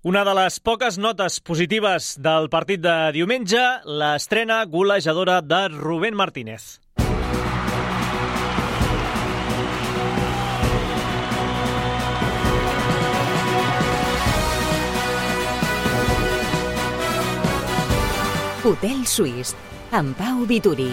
Una de les poques notes positives del partit de diumenge, l'estrena golejadora de Rubén Martínez. Hotel Suís, amb Pau Vituri.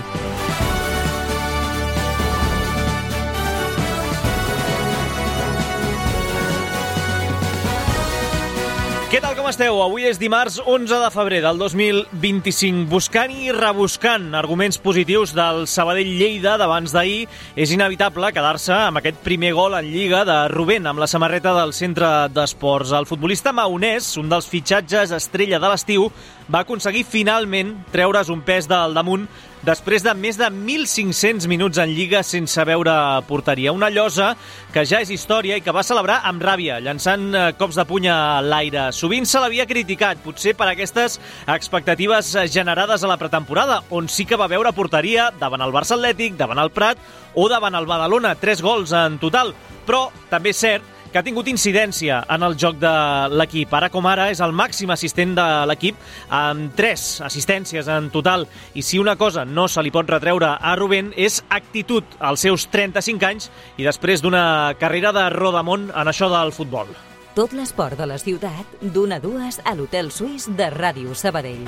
Què tal, com esteu? Avui és dimarts 11 de febrer del 2025. Buscant i rebuscant arguments positius del Sabadell-Lleida d'abans d'ahir, és inevitable quedar-se amb aquest primer gol en Lliga de Rubén, amb la samarreta del centre d'esports. El futbolista maonès, un dels fitxatges estrella de l'estiu, va aconseguir finalment treure's un pes del damunt després de més de 1.500 minuts en Lliga sense veure porteria. Una llosa que ja és història i que va celebrar amb ràbia, llançant cops de puny a l'aire. Sovint se l'havia criticat, potser per aquestes expectatives generades a la pretemporada, on sí que va veure porteria davant el Barça Atlètic, davant el Prat o davant el Badalona, 3 gols en total. Però també és cert que ha tingut incidència en el joc de l'equip. Ara com ara és el màxim assistent de l'equip amb 3 assistències en total. I si una cosa no se li pot retreure a Rubén és actitud als seus 35 anys i després d'una carrera de rodamont en això del futbol. Tot l'esport de la ciutat, d'1 a 2 a l'Hotel Suís de Ràdio Sabadell.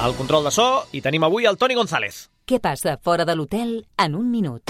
Al control de so hi tenim avui el Toni González. Què passa fora de l'hotel en un minut?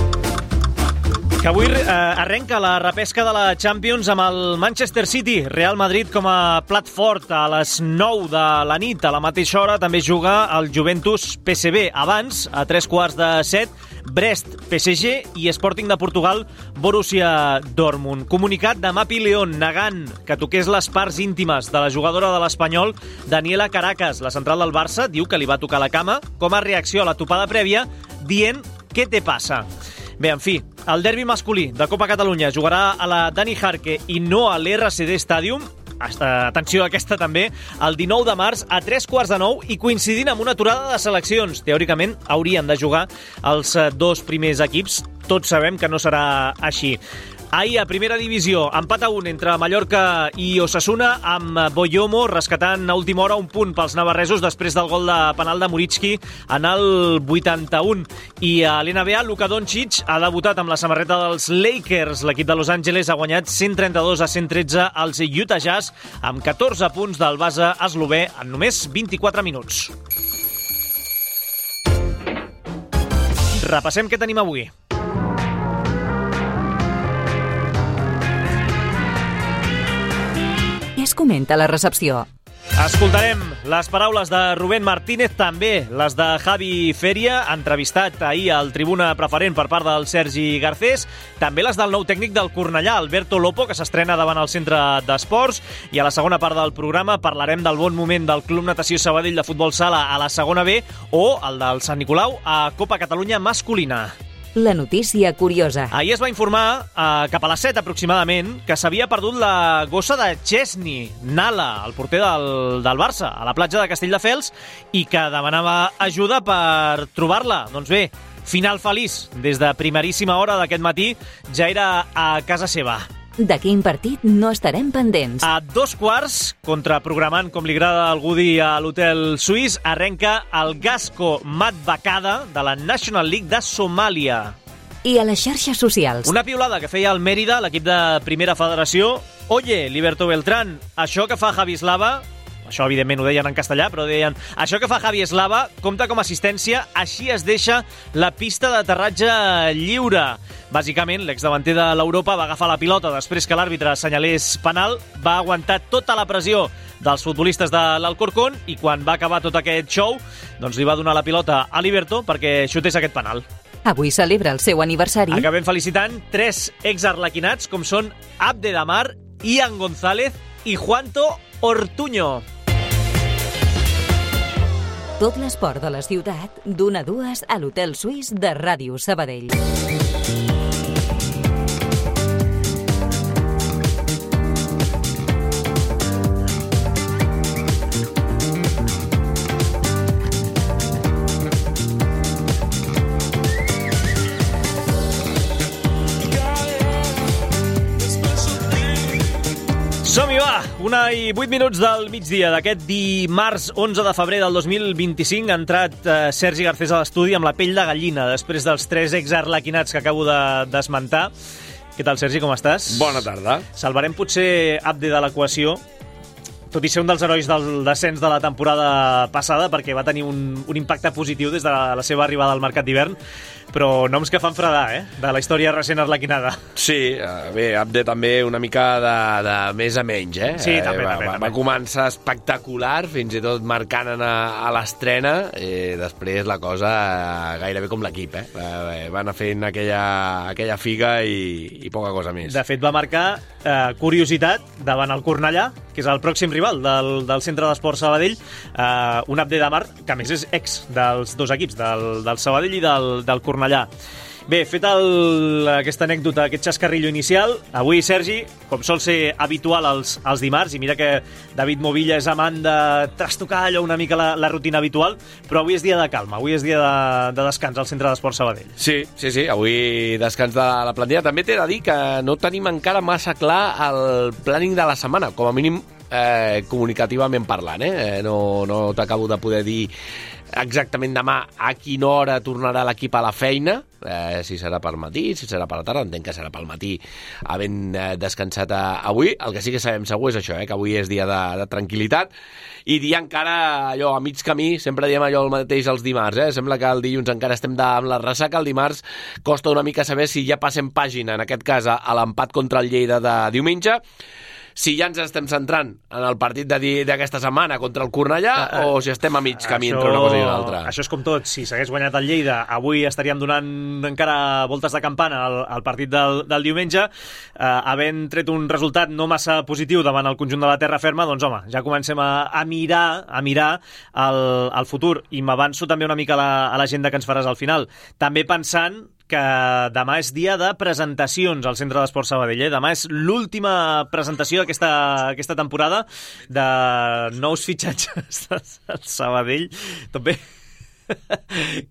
Que avui arrenca la repesca de la Champions amb el Manchester City, Real Madrid com a plat fort a les 9 de la nit. A la mateixa hora també juga el Juventus PSV. Abans, a 3:15, Brest PSG i Sporting de Portugal Borussia Dortmund. Comunicat de Mapi León negant que toqués les parts íntimes de la jugadora de l'Espanyol, Daniela Caracas. La central del Barça diu que li va tocar la cama com a reacció a la topada prèvia, dient «Què te passa?». Bé, en fi, el derbi masculí de Copa Catalunya jugarà a la Dani Jarque i no a l'RCD Stadium. Atenció, aquesta també, el 19 de març a 3:15 i coincidint amb una aturada de seleccions. Teòricament haurien de jugar els 2 primers equips. Tots sabem que no serà així. Ahir, a primera divisió, empat a 1 entre Mallorca i Osasuna, amb Boyomo rescatant a última hora un punt pels navarresos després del gol de penal de Muritzki en el 81. I a l'NBA, Luka Doncic ha debutat amb la samarreta dels Lakers. L'equip de Los Angeles ha guanyat 132-113 als Utah Jazz amb 14 punts del base eslové en només 24 minuts. Repassem què tenim avui. Què es comenta a la recepció? Escoltarem les paraules de Rubén Martínez, també les de Javi Feria, entrevistat ahir al Tribuna Preferent per part del Sergi Garcés, també les del nou tècnic del Cornellà, Alberto Lopo, que s'estrena davant el centre d'esports, i a la segona part del programa parlarem del bon moment del Club Natació Sabadell de Futbol Sala a la segona B o el del Sant Nicolau a Copa Catalunya masculina. La notícia curiosa. Ahir es va informar, cap a les 7 aproximadament, que s'havia perdut la gossa de Chesney, Nala, el porter del Barça, a la platja de Castelldefels, i que demanava ajuda per trobar-la. Doncs bé, final feliç. Des de primeríssima hora d'aquest matí ja era a casa seva. De quin partit no estarem pendents? A 2:15, contraprogramant, com li agrada a algú dir a l'Hotel Suís, arrenca el Gasco Madbacada de la National League de Somàlia. I a les xarxes socials? Una piulada que feia el Mérida, l'equip de Primera Federació. Oye, Liberto Beltrán, això que fa Javi Eslava... Això, evidentment, ho deien en castellà, però deien això que fa Javi Eslava compta com a assistència, així es deixa la pista d'aterratge lliure. Bàsicament, l'exdavanter de l'Europa va agafar la pilota després que l'àrbitre assenyalés penal, va aguantar tota la pressió dels futbolistes de l'Alcorcón i quan va acabar tot aquest show, doncs li va donar la pilota a Liberto perquè xutés aquest penal. Avui celebra el seu aniversari. Acabem felicitant 3 exarlequinats com són Abde Damar, Ian González i Juanto Ortuño. Tot l'esport de la ciutat, d'1 a 2 a l'Hotel Suís de Ràdio Sabadell. Som-hi, va, 1:08 del migdia d'aquest dimarts 11 de febrer del 2025 ha entrat Sergi Garcés a l'estudi amb la pell de gallina després dels 3 exarlequinats que acabo d'esmentar. Què tal, Sergi, com estàs? Bona tarda. Salvarem potser Abde de l'equació, tot i ser un dels herois del descens de la temporada passada, perquè va tenir un impacte positiu des de la seva arribada al mercat d'hivern, però noms que fan fredar, de la història recent arlequinada. Sí, bé, Abde també una mica de més a menys, Sí, també. Va començar espectacular, fins i tot marcant a l'estrena, després la cosa gairebé com l'equip, Va anar fent aquella figa i poca cosa més. De fet, va marcar curiositat davant el Cornellà, que és el pròxim rival del Centre d'Esports Sabadell, un Abde de Mar, que a més és ex dels dos equips, del Sabadell i del Cornellà. Bé, fet aquesta anècdota, aquest xascarrillo inicial, avui, Sergi, com sol ser habitual els dimarts, i mira que David Movilla és amant de trastocar allò una mica la rutina habitual, però avui és dia de calma, avui és dia de descans al Centre d'Esports Sabadell. Sí, avui descans de la plantilla. També t'he de dir que no tenim encara massa clar el planning de la setmana, com a mínim comunicativament parlant, No t'acabo de poder dir exactament demà a quina hora tornarà l'equip a la feina, si serà per matí, si serà per la tarda, entenc que serà pel matí, havent descansat avui. El que sí que sabem segur és això, que avui és dia de tranquil·litat, i dia encara allò a mig camí, sempre diem allò el mateix els dimarts, Sembla que el dilluns encara estem amb la ressaca, el dimarts costa una mica saber si ja passem pàgina, en aquest cas a l'empat contra el Lleida de diumenge, si ja ens estem centrant en el partit d'aquesta setmana contra el Cornellà o si estem a mig camí entre una cosa i una altra. Això és com tot. Si s'hagués guanyat el Lleida, avui estaríem donant encara voltes de campana al partit del diumenge. Havent tret un resultat no massa positiu davant el conjunt de la terra ferma, doncs home, ja comencem a mirar el futur. I m'avanço també una mica a l'agenda que ens faràs al final. També pensant que demà és dia de presentacions al Centre d'Esports Sabadell. Demà és l'última presentació d'aquesta temporada de nous fitxatges del Sabadell. Tot bé?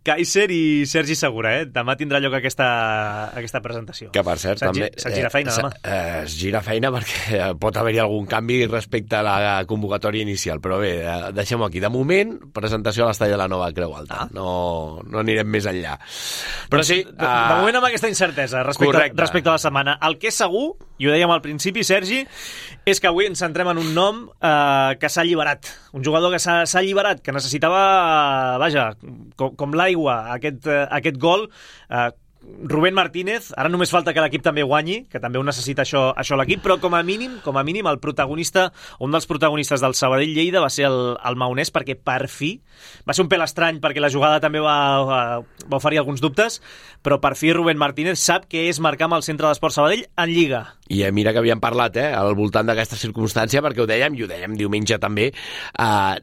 Kaiser i Sergi Segura, Demà tindrà lloc aquesta presentació. Que, per cert, també... Se't gira feina, demà. Es gira feina perquè pot haver-hi algun canvi respecte a la convocatòria inicial, però bé, deixem-ho aquí. De moment, presentació a l'estadi de la Nova Creu Alta. No anirem més enllà. Però sí... De moment amb aquesta incertesa respecte a la setmana. El que és segur, i ho dèiem al principi, Sergi, és que avui ens centrem en un nom que s'ha alliberat. Un jugador que s'ha alliberat, que necessitava, com l'aigua, aquest gol. Rubén Martínez, ara només falta que l'equip també guanyi, que també ho necessita això l'equip, però com a mínim el protagonista, un dels protagonistes del Sabadell-Lleida va ser el maonès, perquè per fi, va ser un pèl estrany perquè la jugada també va oferir alguns dubtes, però per fi Rubén Martínez sap què és marcar amb el Centre d'Esports Sabadell en Lliga. I mira que havíem parlat al voltant d'aquesta circumstància, perquè ho dèiem diumenge també,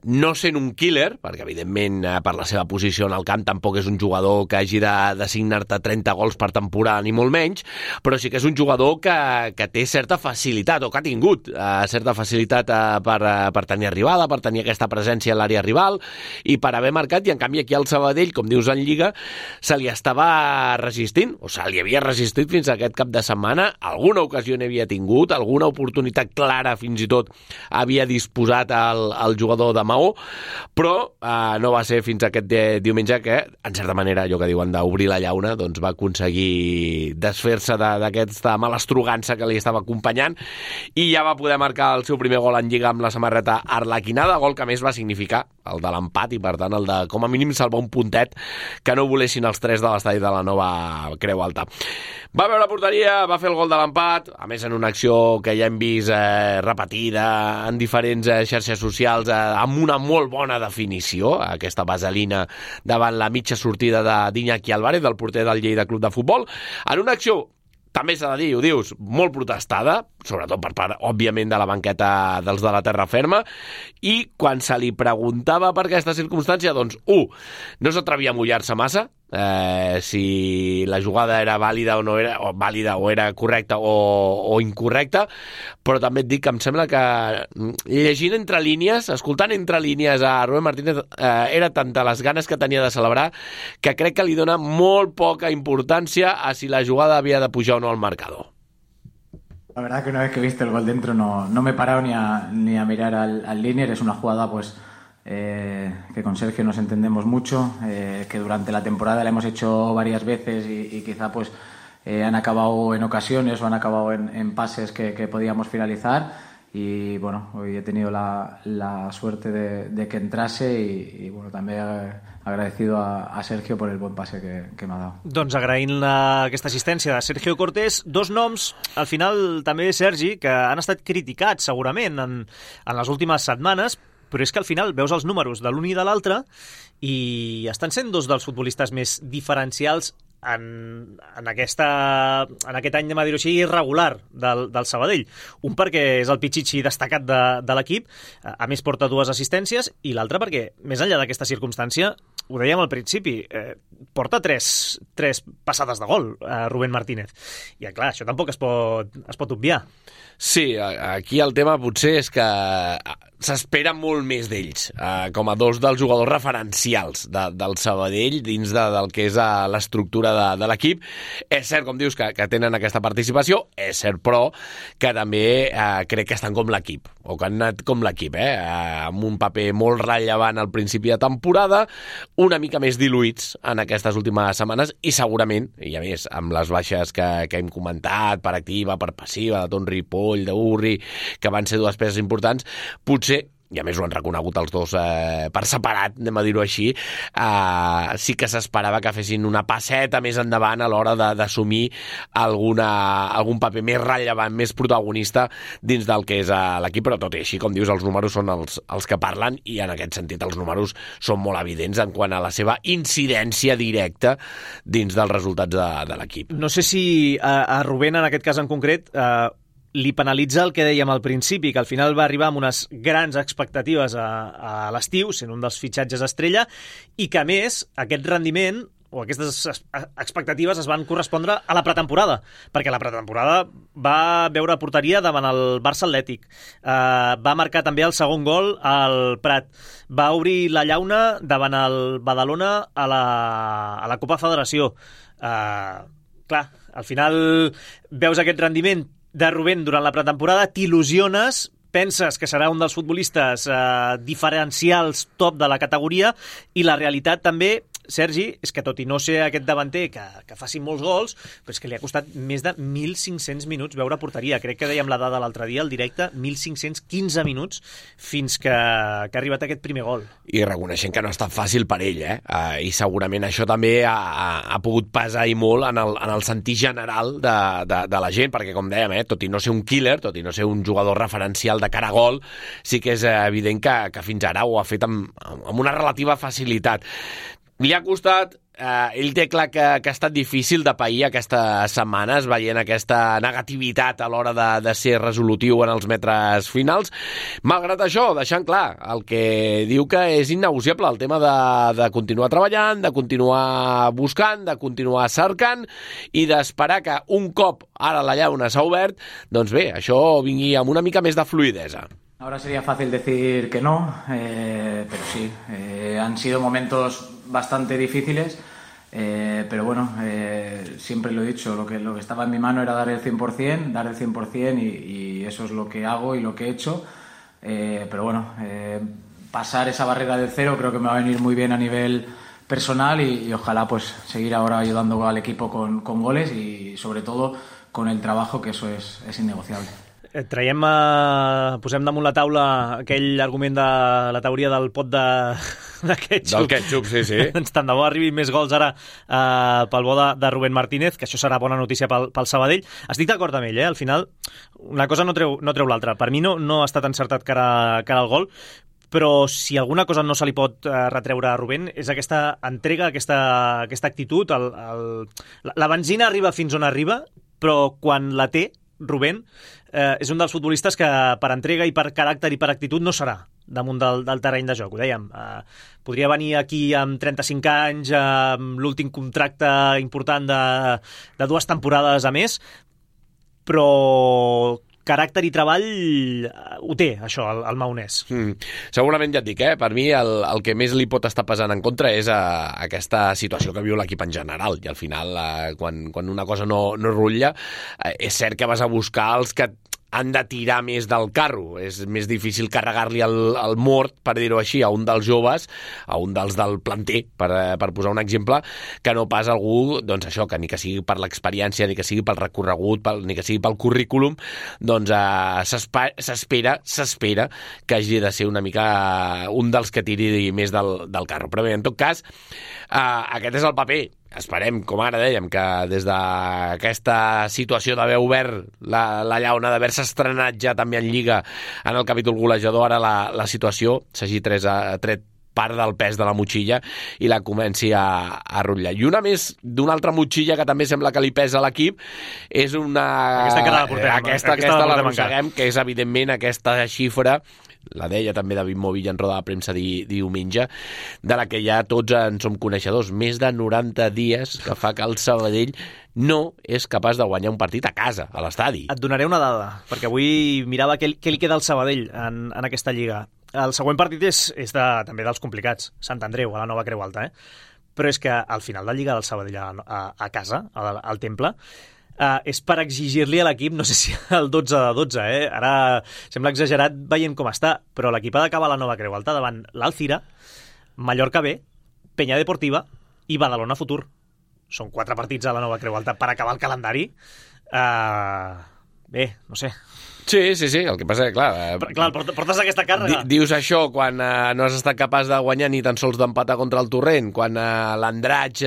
no sent un killer, perquè evidentment per la seva posició en el camp tampoc és un jugador que hagi d'assignar-te 30 gols per temporada, ni molt menys, però sí que és un jugador que té certa facilitat, o que ha tingut certa facilitat per tenir arribada, per tenir aquesta presència a l'àrea rival, i per haver marcat, i en canvi aquí al Sabadell, com dius en Lliga, se li estava resistint, o se li havia resistit fins a aquest cap de setmana. Alguna ocasió n'havia tingut, alguna oportunitat clara fins i tot havia disposat el jugador de Maó, però no va ser fins aquest diumenge que, en certa manera, allò que diuen d'obrir la llauna, doncs va aconseguir desfer-se d'aquesta malastrugança que li estava acompanyant, i ja va poder marcar el seu primer gol en Lliga amb la samarreta arlequinada, gol que més va significar el de l'empat i per tant el de com a mínim salvar un puntet que no volessin els 3 de l'estadi de la Nova Creu Alta. Va veure la porteria, va fer el gol de l'empat, a més en una acció que ja hem vist repetida en diferents xarxes socials, amb una molt bona definició, aquesta vaselina davant la mitja sortida d'Iñaki Álvarez, del porter del Lleida Club de Futbol, en una acció, també s'ha de dir, ho dius, molt protestada, sobretot per part, òbviament, de la banqueta dels de la terra ferma, i quan se li preguntava per aquesta circumstància, doncs, no s'atrevia a mullar-se massa, si la jugada era vàlida o no era, o vàlida o era correcta o incorrecta, però també et dic que em sembla que llegint entre línies, escoltant entre línies a Rubén Martínez, era tanta les ganes que tenia de celebrar que crec que li dona molt poca importància a si la jugada havia de pujar o no al marcador. La verdad que una vez que he visto el gol dentro no me he parado ni a mirar al Linier. Es una jugada pues que con Sergio nos entendemos mucho, que durante la temporada la hemos hecho varias veces y quizá pues han acabado en ocasiones o han acabado en pases que podíamos finalizar. Y bueno, hoy he tenido la suerte de que entrase y bueno, también agradecido a Sergio por el buen pase que m'ha dado. Doncs agraint aquesta assistència de Sergio Cortés, dos noms, al final també Sergi, que han estat criticats segurament en les últimes setmanes, però és que al final veus els números de l'un i de l'altre i estan sent dos dels futbolistes més diferencials en aquest any, dir-ho així, irregular del Sabadell. Un perquè és el pitxitxi destacat de l'equip, a més porta 2 assistències, i l'altre perquè, més enllà d'aquesta circumstància, ho dèiem al principi, porta 3 passades de gol, Rubén Martínez. I clar, això tampoc es pot obviar. Sí, aquí el tema potser és que s'espera molt més d'ells, com a dos dels jugadors referencials del Sabadell dins del que és l'estructura de l'equip. És cert, com dius, que tenen aquesta participació, és cert, però que també crec que estan com l'equip, o que han anat com l'equip, amb un paper molt rellevant al principi de temporada, una mica més diluïts en aquestes últimes setmanes, i segurament, i a més, amb les baixes que hem comentat, per activa, per passiva, de Ton Ripoll, d'Urri, que van ser 2 peces importants, potser, i a més ho han reconegut els dos per separat, anem a dir-ho així, sí que s'esperava que fessin una passeta més endavant a l'hora d'assumir algun paper més rellevant, més protagonista dins del que és l'equip, però tot i així, com dius, els números són els que parlen, i en aquest sentit els números són molt evidents en quant a la seva incidència directa dins dels resultats de l'equip. No sé si a Rubén, en aquest cas en concret, li penalitza el que dèiem al principi, que al final va arribar amb unes grans expectatives a l'estiu, sent un dels fitxatges estrella, i que a més aquest rendiment o aquestes expectatives es van correspondre a la pretemporada, perquè la pretemporada va veure porteria davant el Barça Atlètic, va marcar també el segon gol al Prat, va obrir la llauna davant el Badalona a la Copa Federació. Clar, al final veus aquest rendiment de Rubén durant la pretemporada, t'il·lusiones, penses que serà un dels futbolistes diferencials top de la categoria, i la realitat també, Sergi, és que tot i no ser aquest davanter que faci molts gols, però és que li ha costat més de 1.500 minuts veure porteria. Crec que dèiem la dada l'altre dia, al directe, 1.515 minuts fins que ha arribat aquest primer gol. I reconeixent que no ha estat fàcil per ell, i segurament això també ha pogut pesar i molt en el sentir general de la gent, perquè com dèiem, tot i no ser un killer, tot i no ser un jugador referencial de cara a gol, sí que és evident que fins ara ho ha fet amb una relativa facilitat. Li ha costat, ell té clar que ha estat difícil de pair aquestes setmanes, veient aquesta negativitat a l'hora de ser resolutiu en els metres finals. Malgrat això, deixant clar el que diu que és innegociable, el tema de continuar treballant, de continuar buscant, de continuar cercant i d'esperar que un cop ara la llauna s'ha obert, doncs bé, això vingui amb una mica més de fluidesa. Ahora sería fácil decir que no, pero sí, han sido momentos bastante difíciles, pero bueno, siempre lo he dicho, lo que estaba en mi mano era dar el 100%, y eso es lo que hago y lo que he hecho, pero bueno, pasar esa barrera del 0 creo que me va a venir muy bien a nivel personal y ojalá pues seguir ahora ayudando al equipo con goles y sobre todo con el trabajo, que eso es innegociable. Posem damunt la taula aquell argument de la teoria del pot de ketchup. Del ketchup, sí. Tant de bo arribin més gols ara pel bo de Rubén Martínez, que això serà bona notícia pel Sabadell. Estic d'acord amb ell, al final una cosa no treu l'altra. Per mi no ha estat encertat cara al gol, però si alguna cosa no se li pot retreure a Rubén és aquesta entrega, aquesta actitud. La benzina arriba fins on arriba, però quan la té Rubén és un dels futbolistes que per entrega i per caràcter i per actitud no serà damunt del terreny de joc, ho dèiem. Podria venir aquí amb 35 anys, amb l'últim contracte important de 2 temporades a més, però caràcter i treball ho té, això, el maonès. Segurament, ja et dic, per mi el que més li pot estar pesant en contra és aquesta situació que viu l'equip en general, i al final, quan una cosa no rutlla, és cert que vas a buscar els que han de tirar més del carro. És més difícil carregar-li el mort, per dir-ho així, a un dels joves, a un dels del planter, per posar un exemple, que no pas algú, doncs això, que ni que sigui per l'experiència, ni que sigui pel recorregut, ni que sigui pel currículum, doncs s'espera que hagi de ser una mica un dels que tiri més del carro. Però bé, en tot cas, aquest és el paper. Esperem, com ara dèiem, que des d'aquesta situació d'haver obert la llauna, d'haver-se estrenat ja també en Lliga en el capítol golejador, ara la situació s'hagi tret part del pes de la motxilla i la comenci a rotllar. I una més d'una altra motxilla que també sembla que li pesa a l'equip és aquesta que la portem, aquesta l'arrosseguem, que és evidentment aquesta xifra, la deia també David Movill en roda de premsa diumenge, de la que ja tots en som coneixedors. Més de 90 dies que fa que el Sabadell no és capaç de guanyar un partit a casa, a l'estadi. Et donaré una dada, perquè avui mirava què li queda al Sabadell en aquesta Lliga. El següent partit és també dels complicats, Sant Andreu, a la Nova Creu Alta, però és que al final de Lliga del Sabadell a casa, al Temple, és per exigir-li a l'equip, no sé si el 12-12, ara sembla exagerat veient com està, però l'equip ha d'acabar la Nova Creu Alta davant l'Alcira, Mallorca B, Peña Deportiva i Badalona Futur. Són 4 partits a la Nova Creu Alta per acabar el calendari. Bé, no sé. Sí, el que passa és que, clar, portes aquesta càrrega. Dius això quan no has estat capaç de guanyar ni tan sols d'empatar contra el Torrent, quan l'Andratx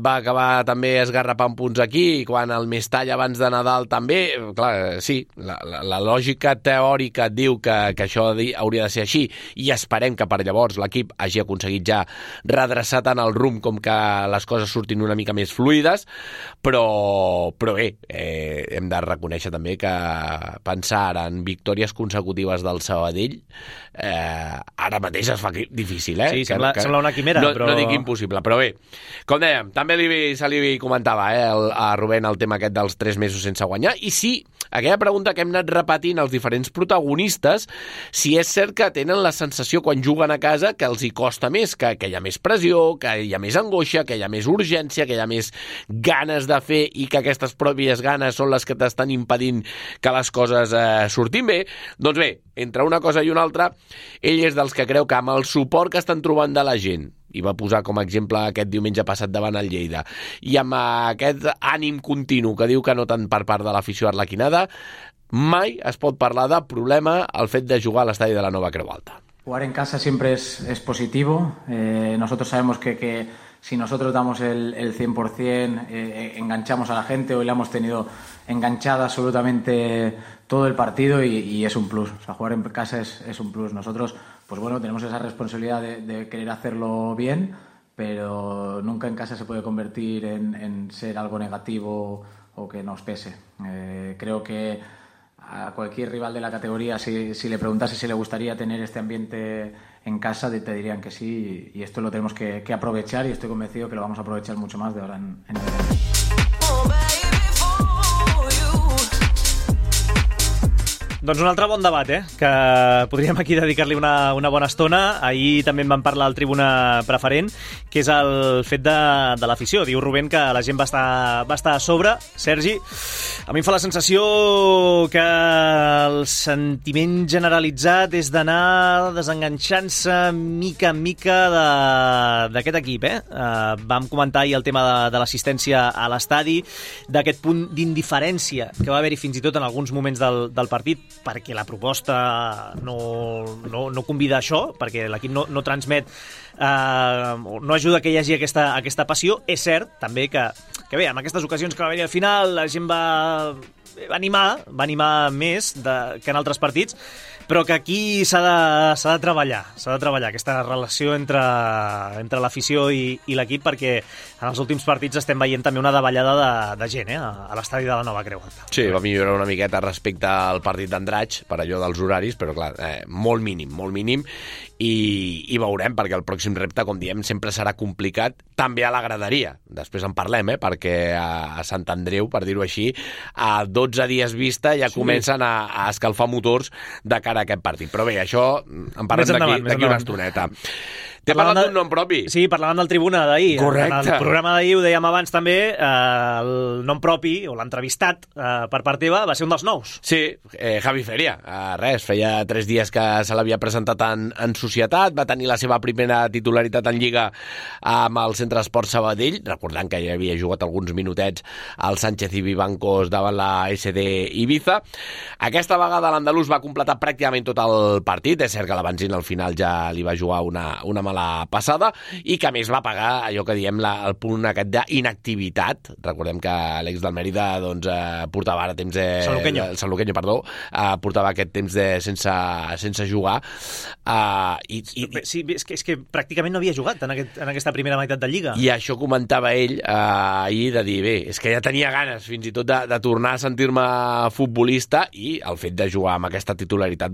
va acabar també esgarrapant punts aquí, quan el Mestall abans de Nadal també, clar, sí, la lògica teòrica et diu que això hauria de ser així, i esperem que per llavors l'equip hagi aconseguit ja redreçar tant el rumb com que les coses surtin una mica més fluides, però bé, hem de reconèixer també que pensar en victòries consecutives del Sabadell ara mateix es fa difícil, Sí, sembla una quimera, però... No dic impossible, però bé, com dèiem, també se li comentava a Rubén el tema aquest dels 3 mesos sense guanyar, i sí, aquella pregunta que hem anat repetint als diferents protagonistes, si és cert que tenen la sensació quan juguen a casa que els hi costa més, que hi ha més pressió, que hi ha més angoixa, que hi ha més urgència, que hi ha més ganes de fer i que aquestes pròpies ganes són les que t'estan impedint que les coses sortim bé. Doncs bé, entre una cosa i una altra, ell és dels que creu que amb el suport que estan trobant de la gent, i va posar com a exemple aquest diumenge passat davant el Lleida, i amb aquest ànim continu que diu que no tant per part de l'afició arlequinada, mai es pot parlar de problema al fet de jugar a l'estadi de la Nova Creu Alta. Jugar en casa siempre es positivo. Nosotros sabemos que si nosotros damos el 100%, enganchamos a la gente. Hoy la hemos tenido enganchada absolutamente todo el partido y es un plus. O sea, jugar en casa es un plus. Nosotros, pues bueno, tenemos esa responsabilidad de querer hacerlo bien, pero nunca en casa se puede convertir en ser algo negativo o que nos pese. Creo que a cualquier rival de la categoría, si le preguntase si le gustaría tener este ambiente en casa, te dirían que sí, y esto lo tenemos que aprovechar, y estoy convencido que lo vamos a aprovechar mucho más de ahora en adelante. Doncs un altre bon debat, que podríem aquí dedicar-li una bona estona. Ahir també en vam parlar al Tribuna Preferent, que és el fet de l'afició. Diu Rubén que la gent va estar a sobre. Sergi, a mi em fa la sensació que el sentiment generalitzat és d'anar desenganxant-se mica en mica d'aquest equip. Vam comentar ahir el tema de l'assistència a l'estadi, d'aquest punt d'indiferència que va haver-hi fins i tot en alguns moments del partit, perquè la proposta no convida a això, perquè l'equip no transmet, no ajuda que hi hagi aquesta passió. És cert també que bé, en aquestes ocasions que va haver-hi al final la gent va animar més que en altres partits, però que aquí s'ha de treballar aquesta relació entre l'afició i l'equip, perquè en els últims partits estem veient també una davallada de gent a l'estadi de la Nova Creu Alta. Sí, va millorar una miqueta respecte al partit d'Andratx per allò dels horaris, però clar, molt mínim, i veurem, perquè el pròxim repte, com diem, sempre serà complicat, també a la graderia. Després en parlem, perquè a Sant Andreu, per dir-ho així, a 12 dies vista ja comencen a escalfar motors de cara a aquest partit. Però bé, això en parlem d'aquí una estoneta. T'he parlat d'un nom propi. Sí, parlàvem del Tribuna d'ahir. Correcte. En el programa d'ahir ho dèiem abans també, el nom propi, o l'entrevistat per part teva, va ser un dels nous. Sí, Javi Feria. Res, feia 3 dies que se l'havia presentat en societat, va tenir la seva primera titularitat en Lliga amb el Centre Esport Sabadell, recordant que ja havia jugat alguns minutets al Sánchez i Vivancos davant la SD Ibiza. Aquesta vegada l'andalús va completar pràcticament tot el partit. És cert que la benzina al final ja li va jugar una mala passada i que a més va pagar allò que diem el punt aquest d'inactivitat. Recordem que l'ex del Mèrida portava ara temps Sanluqueño, portava aquest temps sense jugar. Sí, és que pràcticament no havia jugat en aquesta primera meitat de Lliga. I això comentava ell ahir, de dir, bé, és que ja tenia ganes fins i tot de tornar a sentir-me futbolista, i el fet de jugar amb aquesta titularitat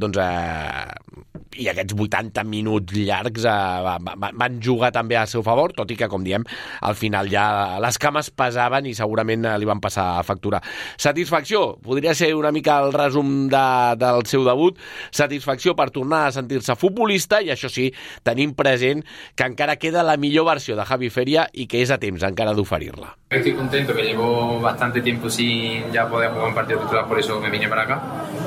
i aquests 80 minuts llargs van jugar també al seu favor, tot i que, com diem, al final ja les cames pesaven i segurament li van passar factura. Satisfacció, podria ser una mica el resum del seu debut, satisfacció per tornar a sentir-se futbolista, i això sí, tenim present que encara queda la millor versió de Javi Feria i que és a temps encara d'oferir-la. Estoy contento, que llevo bastante tiempo sin ya poder jugar un partido titular, por eso me vine para acá.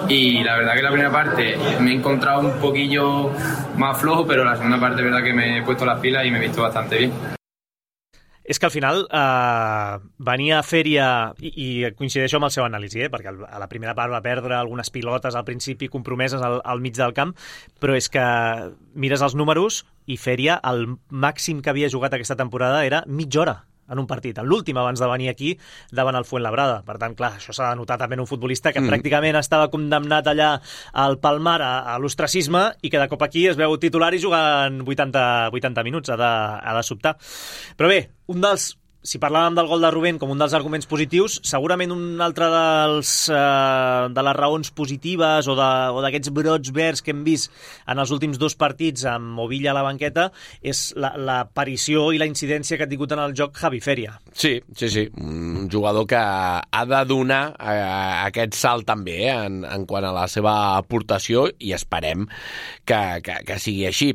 Y la verdad que la primera parte me he encontrado un poquillo más flojo, pero la segunda parte es verdad que me he puesto las pilas y me he visto bastante bien. És que al final venia a Feria, i coincideixo amb el seu anàlisi, perquè a la primera part va perdre algunes pilotes al principi compromeses al mig del camp, però és que mires els números i Feria, el màxim que havia jugat aquesta temporada era mitja hora en un partit, en l'últim abans de venir aquí davant el Fuenlabrada. Per tant, clar, això s'ha de notar també en un futbolista que pràcticament estava condemnat allà al Palmar a l'ostracisme i que de cop aquí es veu titular i jugant 80 minuts, ha de sobtar. Però bé, si parlàvem del gol de Rubén com un dels arguments positius, segurament un altre de les raons positives o d'aquests brots verds que hem vist en els últims 2 partits amb Movilla a la banqueta és l'aparició i la incidència que ha tingut en el joc Javi Feria. Sí, un jugador que ha de donar aquest salt també en quant a la seva aportació, i esperem que sigui així.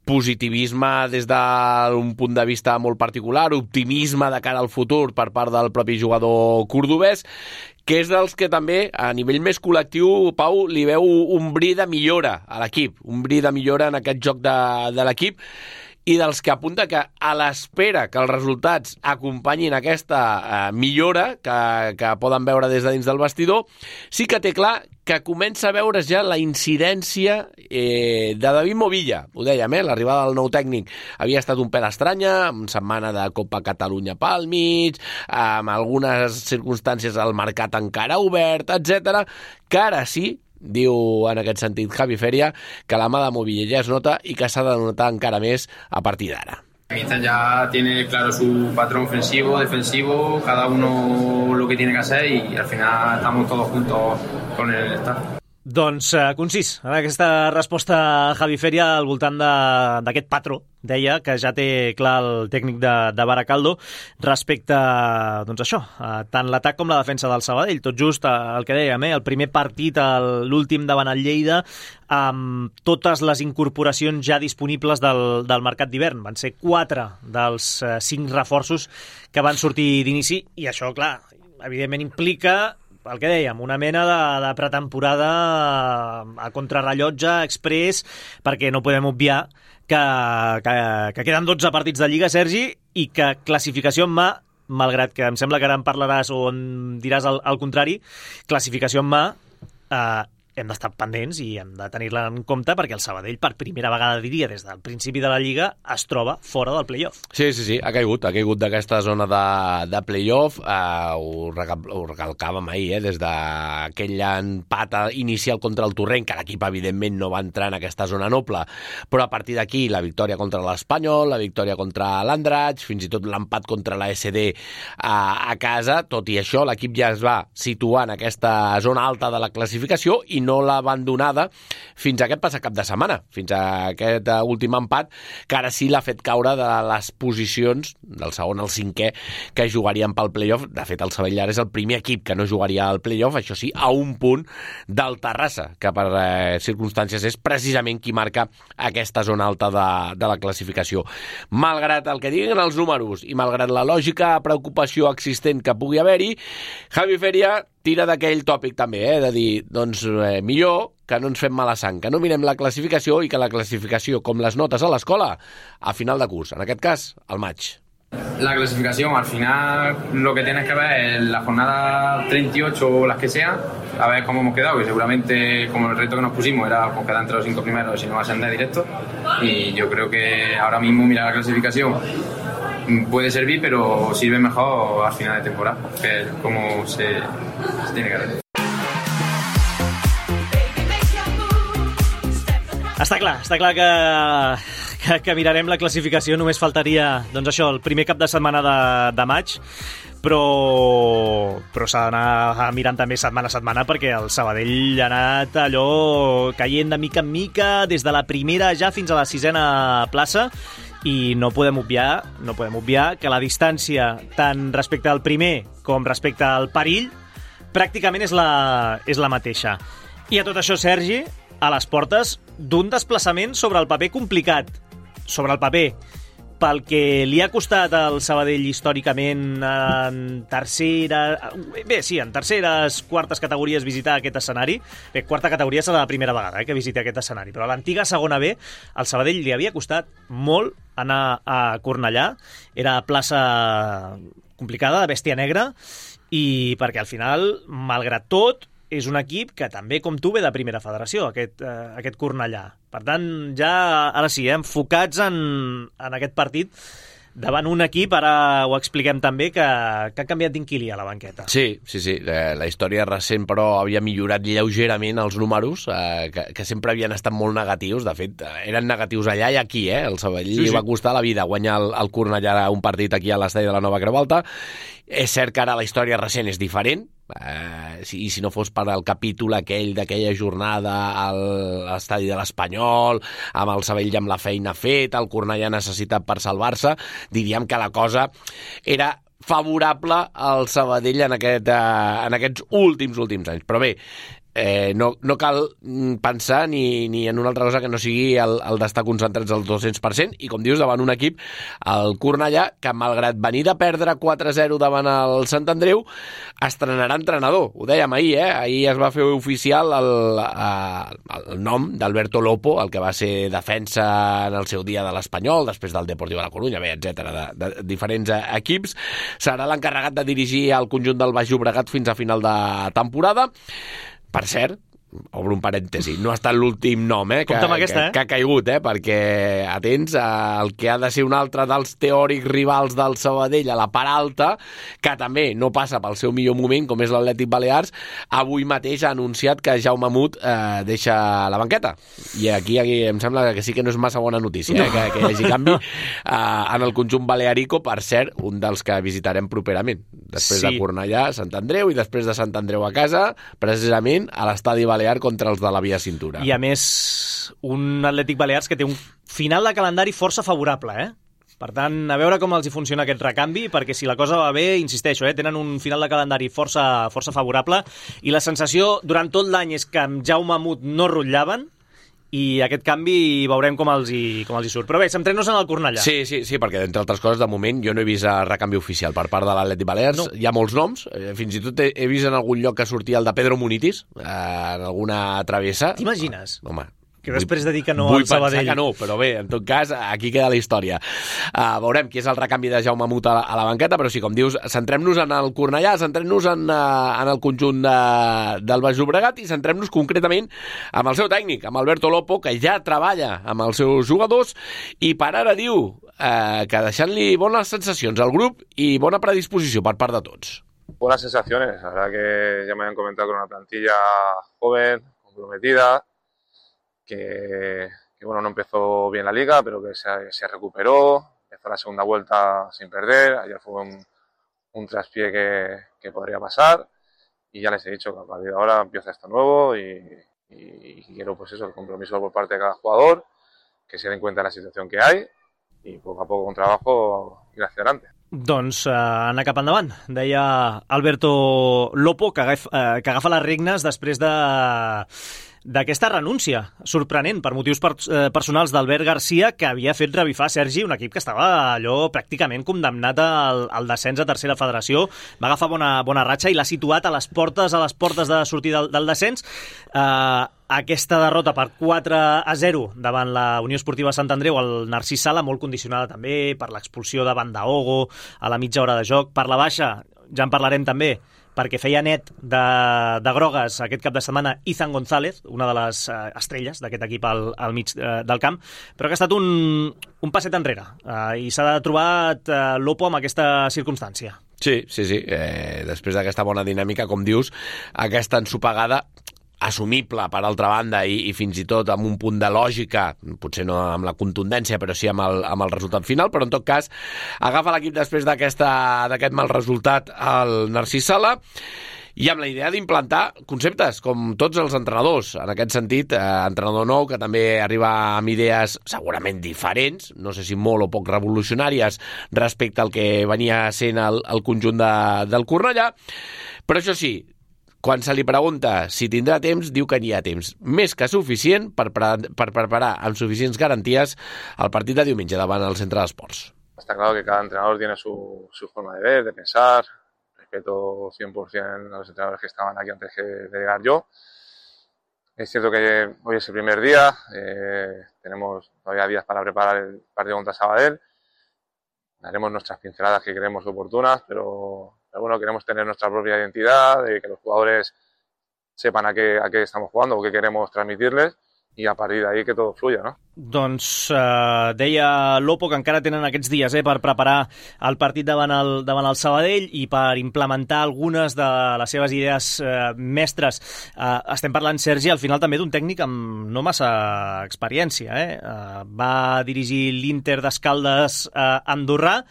Positivisme des d'un punt de vista molt particular, optimisme de cara al futur per part del propi jugador cordobès, que és dels que també, a nivell més col·lectiu, Pau, li veu un bri de millora a l'equip, un bri de millora en aquest joc de l'equip, i dels que apunta que a l'espera que els resultats acompanyin aquesta millora que poden veure des de dins del vestidor, sí que té clar que comença a veure's ja la incidència de David Movilla. Ho dèiem, l'arribada del nou tècnic havia estat un pèl estranya, amb setmana de Copa Catalunya pel mig, amb algunes circumstàncies al mercat encara obert, etc. Que ara sí, diu en aquest sentit Javi Feria, que la mà de Movilla ja es nota i que s'ha de notar encara més a partir d'ara. Mister ya tiene claro su patrón ofensivo, defensivo, cada uno lo que tiene que hacer, y al final estamos todos juntos con el staff. Doncs concís, en aquesta resposta a Javi Feria al voltant d'aquest patró, deia, que ja té clar el tècnic de Baracaldo respecte doncs això, tant l'atac com la defensa del Sabadell. Tot just el que dèiem, el primer partit, l'últim davant el Lleida, amb totes les incorporacions ja disponibles del mercat d'hivern. Van ser 4 dels 5 reforços que van sortir d'inici, i això, clar, evidentment implica el que dèiem, una mena de pretemporada a contrarrellotge express, perquè no podem obviar que queden 12 partits de Lliga, Sergi, i que classificació en mà, malgrat que em sembla que ara en parlaràs o en diràs el contrari, classificació en mà, hem d'estar pendents i hem de tenir-la en compte, perquè el Sabadell, per primera vegada, diria, des del principi de la Lliga, es troba fora del play-off. Sí, ha caigut d'aquesta zona de play-off. Ho recalcàvem ahir, des d'aquell empat inicial contra el Torrent, que l'equip evidentment no va entrar en aquesta zona noble, però a partir d'aquí la victòria contra l'Espanyol, la victòria contra l'Andratx, fins i tot l'empat contra la SD a casa. Tot i això, l'equip ja es va situar en aquesta zona alta de la classificació i no l'ha abandonada fins a aquest passat cap de setmana, fins a aquest últim empat, que ara sí l'ha fet caure de les posicions del segon al cinquè que jugarien pel play-off. De fet, el Sabadell és el primer equip que no jugaria al play-off, això sí, a un punt del Terrassa, que per circumstàncies és precisament qui marca aquesta zona alta de la classificació. Malgrat el que diguin els números i malgrat la lògica preocupació existent que pugui haver-hi, Javi Feria tira d'aquell tòpic també, de dir, doncs millor que no ens fem mala sang, que no mirem la classificació i que la classificació, com les notes a l'escola, a final de curs, en aquest cas, al maig. La clasificación, al final lo que tienes que ver es la jornada 38 o las que sea, a ver cómo hemos quedado, que seguramente como el reto que nos pusimos era pues, quedar entre los 5 primeros y no ascender directo, y yo creo que ahora mismo mirar la clasificación puede servir, pero sirve mejor al final de temporada, que es como se tiene que hacer. Està clar que mirarem la classificació, només faltaria, doncs això, el primer cap de setmana de maig, però s'ha d'anar mirant també setmana a setmana, perquè el Sabadell ha anat allò caient de mica en mica, des de la primera ja fins a la 6a plaça, i no podem obviar que la distància tant respecte al primer com respecte al perill pràcticament és la mateixa. I a tot això, Sergi, a les portes d'un desplaçament sobre el paper complicat, sobre el paper, pel que li ha costat al Sabadell històricament en terceres, quartes categories visitar aquest escenari. Bé, quarta categoria serà la primera vegada que visiti aquest escenari, però a l'antiga segona B al Sabadell li havia costat molt anar a Cornellà, era plaça complicada, de bèstia negra, i perquè al final, malgrat tot, és un equip que també, com tu, ve de primera federació, aquest Cornellà. Per tant, ja, ara sí, enfocats en aquest partit davant un equip, ara ho expliquem també, que ha canviat d'inquilí a la banqueta. Sí. La història recent, però, havia millorat lleugerament els números, que sempre havien estat molt negatius. De fet, eren negatius allà i aquí, El Sabadell li va costar la vida guanyar el Cornellà un partit aquí a l'estadi de la Nova Creu Alta. És cert que ara la història recent és diferent, i si no fos per el capítol aquell d'aquella jornada a l'estadi de l'Espanyol, amb el Sabadell amb la feina feta, el Cornellà necessitat per salvar-se, diríem que la cosa era favorable al Sabadell en aquests últims anys. Però bé, no cal pensar ni en una altra cosa que no sigui el d'estar concentrats al 200%, i com dius, davant un equip, el Cornellà, que malgrat venir de perdre 4-0 davant el Sant Andreu, estrenarà entrenador. Ho dèiem ahir, ahir es va fer oficial el nom d'Alberto Lopo, el que va ser defensa en el seu dia de l'Espanyol, després del Deportiu de la Corunya, etc., de diferents equips. Serà l'encarregat de dirigir el conjunt del Baix Llobregat fins a final de temporada. Per cert, obro un parèntesi, no ha estat l'últim nom que ha caigut, perquè atents al que ha de ser un altre dels teòrics rivals del Sabadell a la part alta, que també no passa pel seu millor moment, com és l'Atlètic Balears. Avui mateix ha anunciat que Jaume Mut deixa la banqueta, i aquí em sembla que sí que no és massa bona notícia, que hi hagi canvi en el conjunt balearico. Per cert, un dels que visitarem properament, després de Cornellà, Sant Andreu, i després de Sant Andreu a casa, precisament a l'estadi Balear contra els de la Via Cintura. I a més, un Atlètic Balears que té un final de calendari força favorable, Per tant, a veure com els hi funciona aquest recanvi, perquè si la cosa va bé, insisteixo, tenen un final de calendari força favorable, i la sensació durant tot l'any és que amb Jaume Mut no rotllaven, i aquest canvi veurem com els hi surt. Però bé, centrem-nos en el Cornellà. Sí, perquè, entre altres coses, de moment jo no he vist recanvi oficial per part de l'Atlètic Balears. No. Hi ha molts noms, fins i tot he vist en algun lloc que sortia el de Pedro Munitis, en alguna travessa. T'imagines? Home, que després de dir que no al Sabadell. Vull pensar que no, però bé, en tot cas, aquí queda la història. Veurem qui és el recanvi de Jaume Mut a la banqueta, però sí, com dius, centrem-nos en el Cornellà, centrem-nos en el conjunt del Baix Llobregat, i centrem-nos concretament amb el seu tècnic, amb Alberto Lopo, que ja treballa amb els seus jugadors, i per ara diu que deixant-li bones sensacions al grup i bona predisposició per part de tots. Buenas sensaciones, la verdad que ya me han comentado con una plantilla joven, comprometida, que bueno, no empezó bien la liga, pero que se recuperó, empezó la segunda vuelta sin perder. Ayer fue un traspié que podría pasar, y ya les he dicho que a partir de ahora empieza esto nuevo y y quiero pues eso, el compromiso por parte de cada jugador, que se den cuenta de la situación que hay y poco a poco con trabajo ir hacia adelante. Doncs anar cap endavant, deia Alberto Lopo, que agafa les regnes després d'aquesta renúncia sorprenent per motius personals d'Albert Garcia, que havia fet revifar Sergi, un equip que estava allò pràcticament condemnat al descens a tercera federació. Va agafar bona ratxa i l'ha situat a les portes de sortir del descens. Aquesta derrota per 4-0 davant la Unió Esportiva Sant Andreu, el Narcís Sala, molt condicionada també per l'expulsió de Bandaogo a la mitja hora de joc. Per la baixa, ja en parlarem també, perquè feia net de grogues aquest cap de setmana Izan González, una de les estrelles d'aquest equip al mig del camp, però que ha estat un passet enrere i s'ha trobat Lopo amb aquesta circumstància. Sí. Després d'aquesta bona dinàmica, com dius, aquesta ensopegada assumible, per altra banda, i fins i tot amb un punt de lògica, potser no amb la contundència, però sí amb el resultat final, però en tot cas agafa l'equip després d'aquest mal resultat el Narcís Sala, i amb la idea d'implantar conceptes, com tots els entrenadors. En aquest sentit, entrenador nou, que també arriba amb idees segurament diferents, no sé si molt o poc revolucionàries respecte al que venia sent el conjunt del Cornellà, però això sí, quan se li pregunta si tindrà temps, diu que n'hi ha temps més que suficient per preparar amb suficients garanties el partit de diumenge davant el Centre d'Esports. Está claro que cada entrenador tiene su forma de ver, de pensar. Respeto 100% a los entrenadores que estaban aquí antes de llegar yo. Es cierto que hoy es el primer día, tenemos todavía días para preparar el partido contra Sabadell. Daremos nuestras pinceladas que creemos oportunas, pero bueno, queremos tener nuestra propia identidad, de que los jugadores sepan a qué estamos jugando o qué queremos transmitirles, i a partir d'ahí que tot fluya, no? Doncs deia Lopo que encara tenen aquests dies per preparar el partit davant el Sabadell i per implementar algunes de les seves idees mestres. Estem parlant, Sergi, al final també d'un tècnic amb no massa experiència. Va dirigir l'Inter d'Escaldes andorrà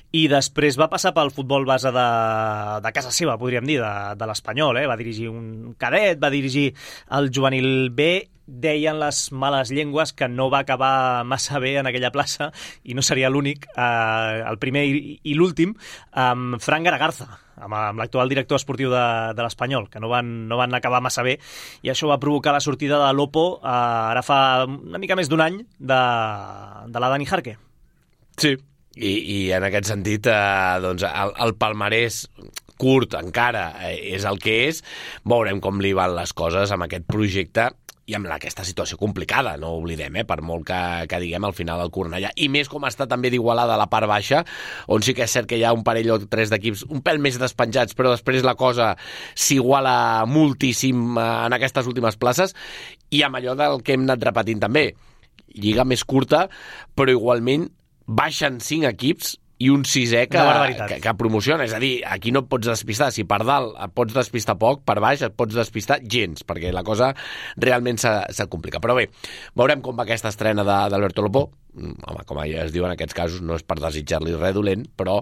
i després va passar pel futbol base de casa seva, podríem dir, de l'Espanyol. Va dirigir un cadet, va dirigir el juvenil B. Deien les males llengües que no va acabar massa bé en aquella plaça, i no seria l'únic, el primer i l'últim, amb Fran Garagarza, amb l'actual director esportiu de l'Espanyol, que no van acabar massa bé, i això va provocar la sortida de Lopo ara fa una mica més d'un any de la Dani Jarque. Sí, i en aquest sentit doncs el palmarès curt encara és el que és. Veurem com li van les coses amb aquest projecte i amb aquesta situació complicada, no oblidem, per molt que diguem al final del Cornellà, i més com està també d'Igualada a la part baixa, on sí que és cert que hi ha un parell o tres d'equips un pèl més despenjats, però després la cosa s'iguala moltíssim en aquestes últimes places, i amb allò del que hem anat repetint també, lliga més curta, però igualment baixen 5 equips i un 6è que promociona. És a dir, aquí no et pots despistar. Si per dalt et pots despistar poc, per baix et pots despistar gens, perquè la cosa realment se complica. Però bé, veurem com va aquesta estrena d'Alberto Lopo. Home, com ja es diu en aquests casos, no és per desitjar-li res dolent, però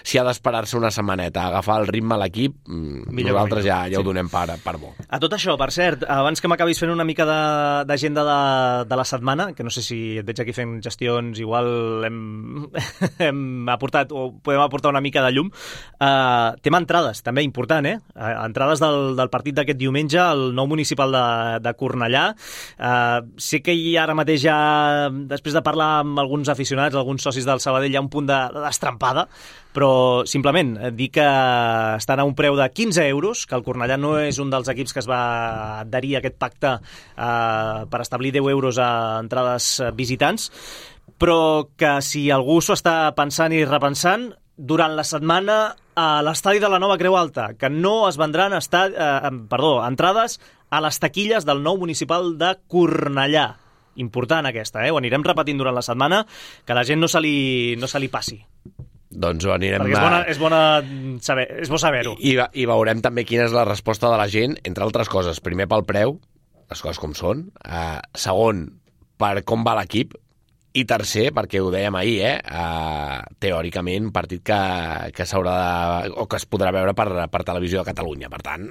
si ha d'esperar-se una setmaneta a agafar el ritme a l'equip, nosaltres ja ho donem per bo. A tot això, per cert, abans que m'acabis fent una mica d'agenda de la setmana, que no sé si et veig aquí fent gestions, igual hem aportat o podem aportar una mica de llum, tema entrades, també important, entrades del partit d'aquest diumenge, el nou municipal de Cornellà. Sé que ara mateix ja, després de parlar amb alguns aficionats, alguns socis del Sabadell, hi ha un punt de destrempada, però simplement dir que estan a un preu de 15 euros, que el Cornellà no és un dels equips que es va adherir a aquest pacte per establir 10 euros a entrades visitants, però que si algú s'ho està pensant i repensant, durant la setmana a l'estadi de la Nova Creu Alta, que no es vendran entrades a les taquilles del nou municipal de Cornellà. Important aquesta, ho anirem repetint durant la setmana, que la gent no se li passi. Doncs ho anirem... Perquè és bo saber-ho. I veurem també quina és la resposta de la gent, entre altres coses. Primer pel preu, les coses com són. Segon, per com va l'equip, I tercer, perquè ho dèiem ahir, teòricament, partit que s'haurà o que es podrà veure per Televisió de Catalunya. Per tant,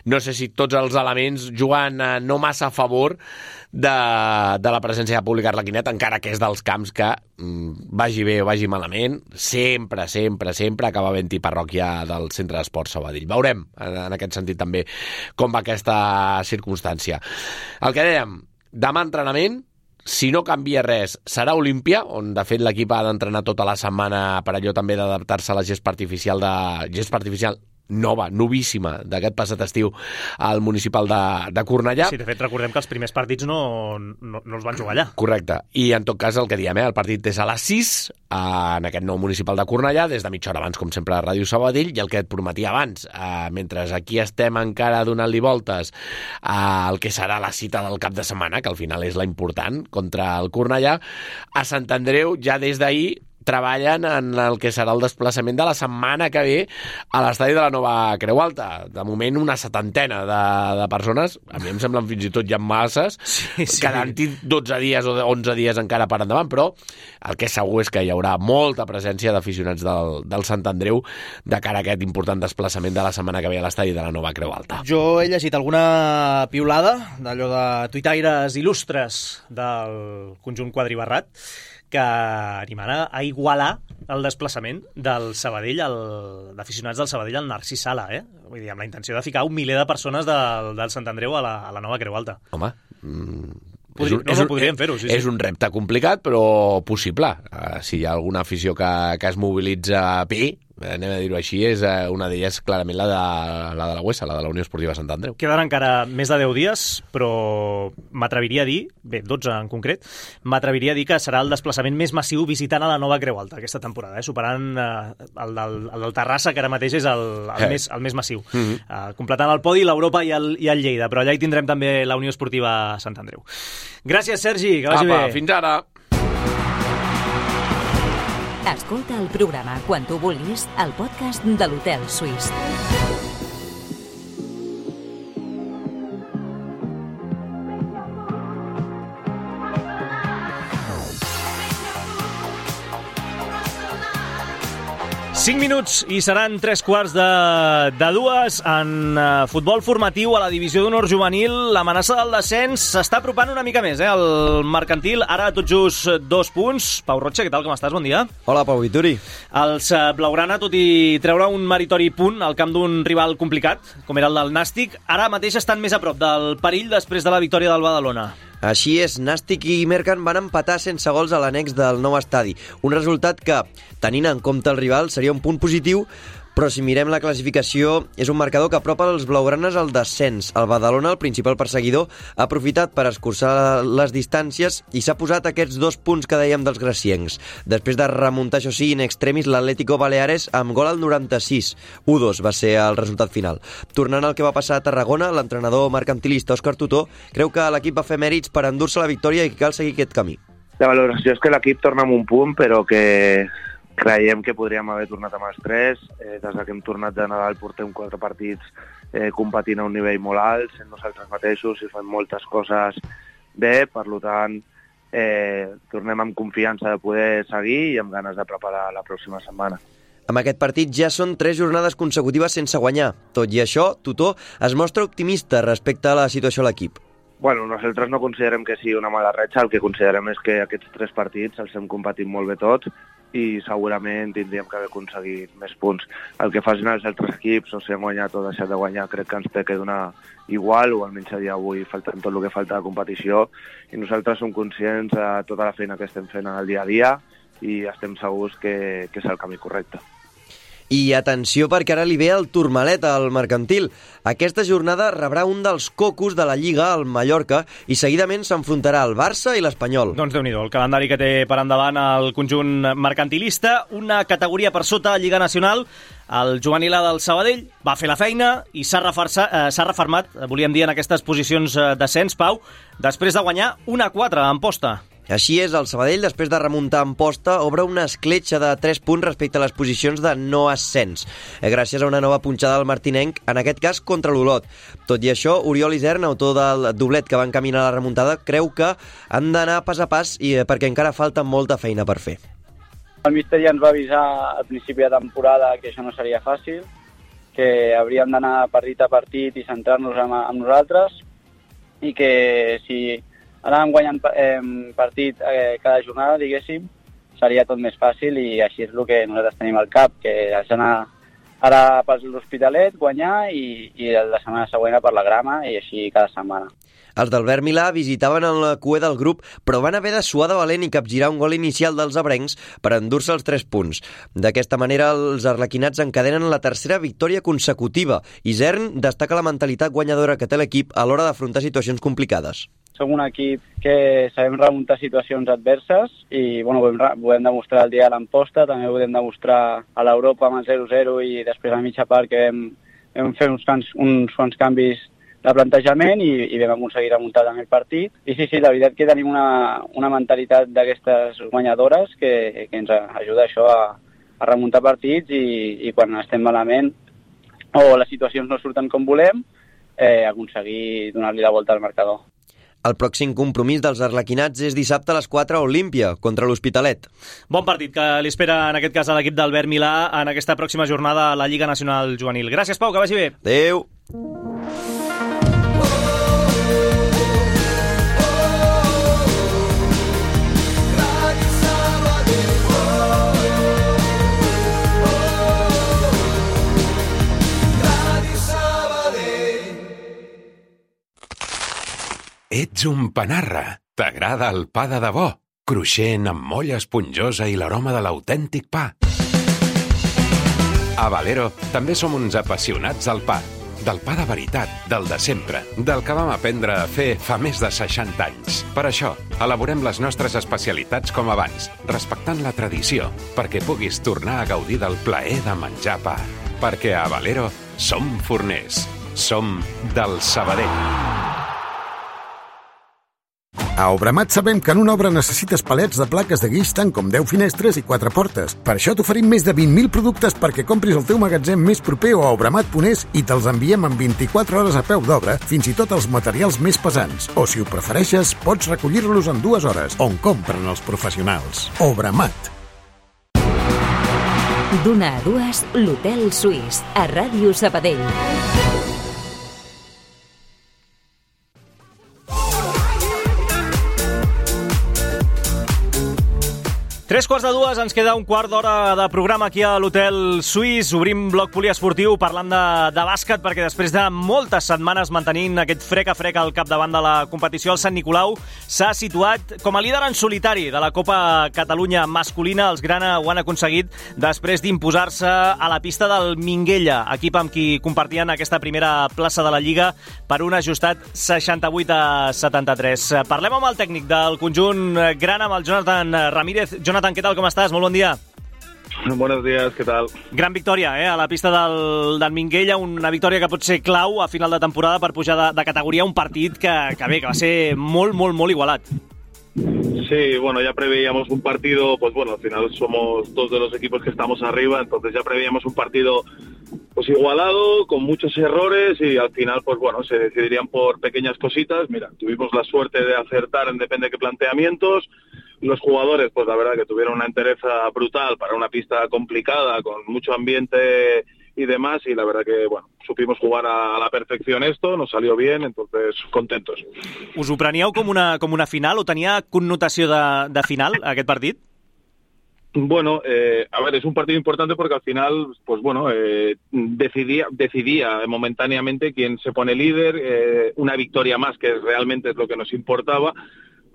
no sé si tots els elements juguen no massa a favor de la presència de públic arlequinet, encara que és dels camps que vagi bé o vagi malament, sempre acaba havent-hi parròquia del Centre d'Esports Sabadell. Veurem, en aquest sentit també, com va aquesta circumstància. El que dèiem, demà entrenament, si no canvia res, serà Olímpia, on de fet l'equip ha d'entrenar tota la setmana per allò també d'adaptar-se a la gespa artificial nova, novíssima, d'aquest passat estiu al municipal de Cornellà. Sí, de fet, recordem que els primers partits no els van jugar allà. Correcte. I en tot cas, el que diem, el partit és a les 6 en aquest nou municipal de Cornellà, des de mitja hora abans, com sempre, a Ràdio Sabadell, i el que et prometia abans, mentre aquí estem encara donant-li voltes al que serà la cita del cap de setmana, que al final és la important, contra el Cornellà, a Sant Andreu ja des d'ahir treballen en el que serà el desplaçament de la setmana que ve a l'estadi de la Nova Creu Alta. De moment, una 70 de persones, a mi em semblen fins i tot ja masses, quedant-hi 12 dies o 11 dies encara per endavant, però el que és segur és que hi haurà molta presència d'aficionats del Sant Andreu de cara a aquest important desplaçament de la setmana que ve a l'estadi de la Nova Creu Alta. Jo he llegit alguna piulada d'allò de tuitaires il·lustres del conjunt quadribarrat que animarà a igualar el desplaçament del Sabadell, d'aficionats del Sabadell al Narcís Sala, Vull dir, amb la intenció de ficar 1 miler de persones del Sant Andreu a la Nova Creu Alta. Home, podríem fer-ho, sí. És un repte complicat, però possible. Si hi ha alguna afició que es mobilitza bé, anem a dir-ho així, és una d'elles clarament la de la UESA, la de la Unió Esportiva Sant Andreu. Queden encara més de 10 dies, però m'atreviria a dir, 12 en concret, m'atreviria a dir que serà el desplaçament més massiu visitant a la Nova Creu Alta aquesta temporada, superant el del Terrassa, que ara mateix és el més massiu. Completant el podi, l'Europa i el Lleida, però allà hi tindrem també la Unió Esportiva Sant Andreu. Gràcies, Sergi, que vagi bé. Fins ara. Escolta el programa quan tu vulguis al podcast de l'Hotel Suís. 5 minuts i seran 3:45 en futbol formatiu a la divisió d'honor juvenil. L'amenaça del descens s'està apropant una mica més, el mercantil, ara tot just 2 punts. Pau Rocha, què tal, com estàs? Bon dia. Hola, Pau Vituri. Els blaugrana, tot i treure un meritori punt al camp d'un rival complicat, com era el del Nàstic, ara mateix estan més a prop del perill després de la victòria del Badalona. Així és, Nàstic i Mercan van empatar sense gols a l'annex del nou estadi. Un resultat que, tenint en compte el rival, seria un punt positiu, però si mirem la classificació, és un marcador que apropa els blaugranes al descens. El Badalona, el principal perseguidor, ha aprofitat per escurçar les distàncies i s'ha posat aquests 2 punts que dèiem dels graciencs. Després de remuntar, això sí, in extremis, l'Atlético Baleares amb gol al 96. 1-2 va ser el resultat final. Tornant al que va passar a Tarragona, l'entrenador mercantilista Òscar Tutó creu que l'equip va fer mèrits per endur-se la victòria i que cal seguir aquest camí. La valoració és que l'equip torna amb un punt, però que creiem que podríem haver tornat amb els 3. Des que hem tornat de Nadal portem 4 partits competint a un nivell molt alt, sent nosaltres mateixos i fem moltes coses bé, per tant tornem amb confiança de poder seguir i amb ganes de preparar la pròxima setmana. Amb aquest partit ja són 3 jornades consecutives sense guanyar. Tot i això, Tutó es mostra optimista respecte a la situació a l'equip. Bueno, nosaltres no considerem que sigui una mala ratxa, el que considerem és que aquests 3 partits els hem competit molt bé tots i segurament tindríem que haver aconseguit més punts. El que facin els altres equips, o si han guanyat o deixat de guanyar, crec que ens té que donar igual, o almenys a dia d'avui faltant tot el que falta de competició, i nosaltres som conscients de tota la feina que estem fent en el dia a dia i estem segurs que és el camí correcte. I atenció, perquè ara li ve el Tourmalet al mercantil. Aquesta jornada rebrà un dels cocos de la Lliga, el Mallorca, i seguidament s'enfrontarà al Barça i l'Espanyol. Doncs Déu-n'hi-do, el calendari que té per endavant el conjunt mercantilista, una categoria per sota a Lliga Nacional. El juvenil del Sabadell va fer la feina i s'ha refermat, volíem dir, en aquestes posicions d'ascens, Pau, després de guanyar 1-4 en posta. Així és, el Sabadell, després de remuntar en posta, obre una escletxa de 3 punts respecte a les posicions de no ascens, gràcies a una nova punxada del martinenc, en aquest cas contra l'Olot. Tot i això, Oriol Isern, autor del doblet que va encaminar la remuntada, creu que han d'anar pas a pas perquè encara falta molta feina per fer. El míster ja ens va avisar al principi de temporada que això no seria fàcil, que hauríem d'anar partit a partit i centrar-nos en nosaltres, i que si anàvem guanyant partit cada jornada, diguéssim, seria tot més fàcil, i així és el que nosaltres tenim al cap, que has d'anar ara per l'Hospitalet, guanyar, i la setmana següent per la Grama, i així cada setmana. Els d'Albert Milà visitaven en la cua del grup, però van haver de suar de valent i capgirar un gol inicial dels abrencs per endur-se els 3 punts. D'aquesta manera, els arlequinats encadenen la tercera victòria consecutiva. Isern destaca la mentalitat guanyadora que té l'equip a l'hora d'afrontar situacions complicades. Som un equip que sabem remuntar situacions adverses i ho vam demostrar el dia de l'Amposta, també ho vam demostrar a l'Europa amb el 0-0 i després a mitja part que vam fer uns quants canvis de plantejament i vam aconseguir remuntar també el partit. I sí, la veritat que tenim una mentalitat d'aquestes guanyadores que ens ajuda això a remuntar partits i quan estem malament o les situacions no surten com volem, aconseguir donar-li la volta al marcador. El pròxim compromís dels arlequinats és dissabte a les 4 a Olímpia, contra l'Hospitalet. Bon partit que li espera, en aquest cas, a l'equip d'Albert Milà en aquesta pròxima jornada a la Lliga Nacional Juvenil. Gràcies, Pau, que vagi bé. Adéu. Ets un panarra. T'agrada el pa de debò, cruixent amb molla esponjosa i l'aroma de l'autèntic pa. A Valero també som uns apassionats del pa. Del pa de veritat, del de sempre, del que vam aprendre a fer fa més de 60 anys. Per això, elaborem les nostres especialitats com abans, respectant la tradició, perquè puguis tornar a gaudir del plaer de menjar pa. Perquè a Valero som forners. Som del Sabadell. A Obramat sabem que en una obra necessites palets de plaques de guix tant com 10 finestres i 4 portes. Per això t'oferim més de 20.000 productes perquè compris el teu magatzem més proper o a obramat.es i te'ls enviem en 24 hores a peu d'obra, fins i tot els materials més pesants. O, si ho prefereixes, pots recollir-los en 2 hores, on compren els professionals. Obramat. D'una a dues, l'Hotel Suís, a Ràdio Sabadell. 3:45, ens queda un quart d'hora de programa aquí a l'Hotel Suís. Obrim bloc poliesportiu parlant de bàsquet, perquè després de moltes setmanes mantenint aquest frec a frec al capdavant de la competició, el Sant Nicolau s'ha situat com a líder en solitari de la Copa Catalunya masculina. Els grana ho han aconseguit després d'imposar-se a la pista del Minguella, equip amb qui compartien aquesta primera plaça de la Lliga per un ajustat 68-73. Parlem amb el tècnic del conjunt grana, amb el Jonathan Ramírez. Jonathan, ¿qué tal? ¿Cómo estás? Muy buen día. Buenos días, ¿qué tal? Gran victòria, a la pista del Minguella, una victòria que pot ser clau a final de temporada per pujar de categoria, un partit que va ser molt igualat. Sí, bueno, ya preveíamos un partido, pues bueno, al final somos dos de los equipos que estamos arriba, entonces ya preveíamos un partido pues igualado, con muchos errores y al final, pues bueno, se decidirían por pequeñas cositas. Mira, tuvimos la suerte de acertar en depende de qué planteamientos. Los jugadores, pues la verdad que tuvieron una entereza brutal para una pista complicada, con mucho ambiente y demás, y la verdad que, bueno, supimos jugar a la perfección esto, nos salió bien, entonces contentos. Us ho preníeu com una final o tenia connotació de final aquest partit? Bueno, a ver, es un partido importante porque al final, pues bueno, decidía momentáneamente quién se pone líder, una victoria más, que realmente es lo que nos importaba.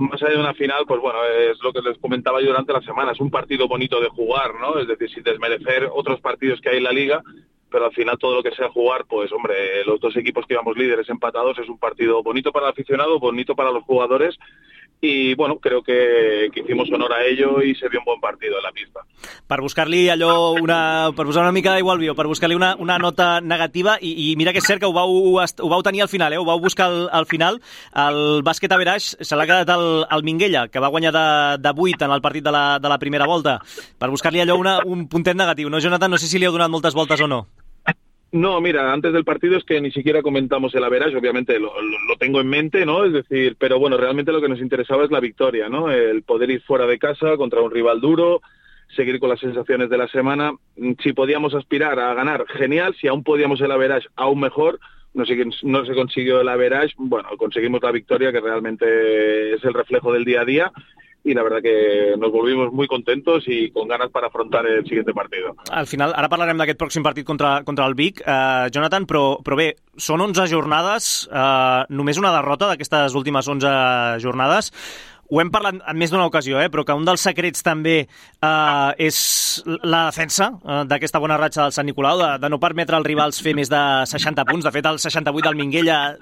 Más allá de una final, pues bueno, es lo que les comentaba yo durante la semana, es un partido bonito de jugar, ¿no? Es decir, sin desmerecer otros partidos que hay en la Liga, pero al final todo lo que sea jugar, pues hombre, los dos equipos que íbamos líderes empatados, es un partido bonito para el aficionado, bonito para los jugadores y bueno, creo que hicimos honor a ello y se vio un buen partido en la pista. Per buscar-li per posar una mica d'aigua al vi, per buscar-li una nota negativa, i mira que és cert que ho vau tenir al final, ho vau buscar al final. El bàsquet average se l'ha quedat el Minguella, que va guanyar de 8 en el partit de la primera volta, per buscar-li allò un puntet negatiu, no, Jonathan? No sé si li heu donat moltes voltes o no. No, mira, antes del partido es que ni siquiera comentamos el average, obviamente lo tengo en mente, ¿no? Es decir, pero bueno, realmente lo que nos interesaba es la victoria, ¿no? El poder ir fuera de casa contra un rival duro, seguir con las sensaciones de la semana. Si podíamos aspirar a ganar, genial. Si aún podíamos el average, aún mejor. No se consiguió el average, bueno, conseguimos la victoria, que realmente es el reflejo del día a día. Y la verdad que nos volvimos muy contentos y con ganas para afrontar el siguiente partido. Al final, ara parlarem d'aquest pròxim partit contra el Vic, Jonathan, però bé, són 11 jornades, només una derrota d'aquestes últimes 11 jornades. Ho hem parlat en més d'una ocasió, però que un dels secrets també és la defensa d'aquesta bona ratxa del Sant Nicolau, de no permetre als rivals fer més de 60 punts. De fet, el 68 del Minguella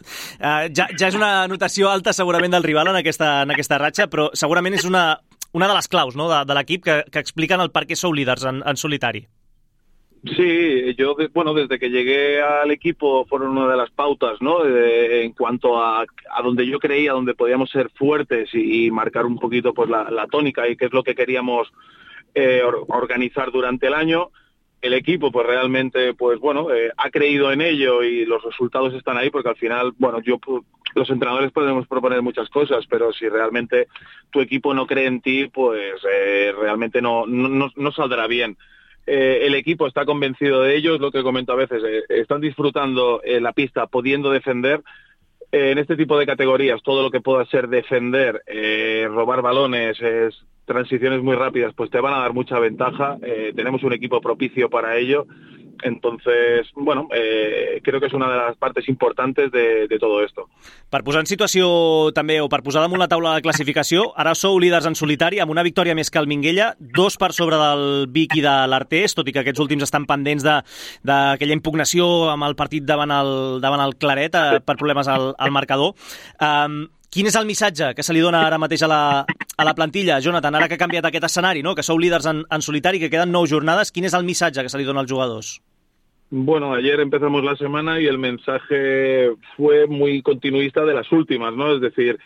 ja és una notació alta segurament del rival en aquesta ratxa, però segurament és una de les claus, no?, de l'equip que expliquen el per què sou líders en solitari. Sí, yo, desde que llegué al equipo fueron una de las pautas, ¿no? En cuanto a donde yo creía, donde podíamos ser fuertes y marcar un poquito pues la tónica y qué es lo que queríamos organizar durante el año. El equipo pues realmente ha creído en ello y los resultados están ahí, porque al final, los entrenadores podemos proponer muchas cosas, pero si realmente tu equipo no cree en ti, pues realmente no saldrá bien. El equipo está convencido de ello, es lo que comento a veces, están disfrutando la pista, pudiendo defender. En este tipo de categorías, todo lo que pueda ser defender, robar balones, transiciones muy rápidas, pues te van a dar mucha ventaja. Tenemos un equipo propicio para ello. Entonces, creo que és una de les parts importants de tot esto. Per posar en situació també, o per posar damunt la taula de classificació, ara sou líders en solitari amb una victòria més que el Minguella, 2 per sobre del Vic i de l'Artés, tot i que aquests últims estan pendents d'aquella impugnació amb el partit davant el Claret per problemes al marcador. Quin és el missatge que se li dona ara mateix a la plantilla, Jonathan, ara que ha canviat aquest escenari, no?, que sou líders en solitari, que queden 9 jornades, quin és el missatge que se li dona als jugadors? Bueno, ayer empezamos la semana y el mensaje fue muy continuista de las últimas, ¿no? Es decir,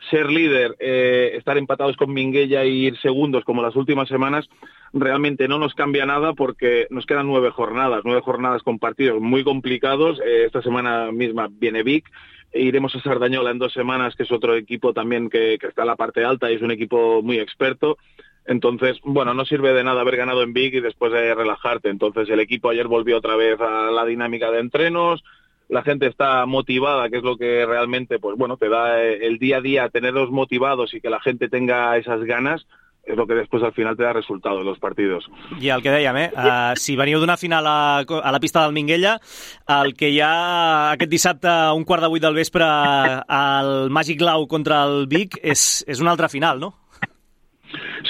ser líder, estar empatados con Minguella y ir segundos como las últimas semanas, realmente no nos cambia nada porque nos quedan 9 jornadas con partidos muy complicados. Esta semana misma viene Vic. Iremos a Sardañola en 2 semanas, que es otro equipo también que está en la parte alta y es un equipo muy experto. Entonces, no sirve de nada haber ganado en Vic y después relajarte. Entonces, el equipo ayer volvió otra vez a la dinámica de entrenos. La gente está motivada, que es lo que realmente, te da el día a día, tenerlos motivados y que la gente tenga esas ganas, és el que després al final te da resultat en els partits. I el que dèiem, si veniu d'una final a la pista del Minguella, el que hi ha aquest dissabte a 7:15 del vespre al Màgic Lau contra el Vic és una altra final, ¿no?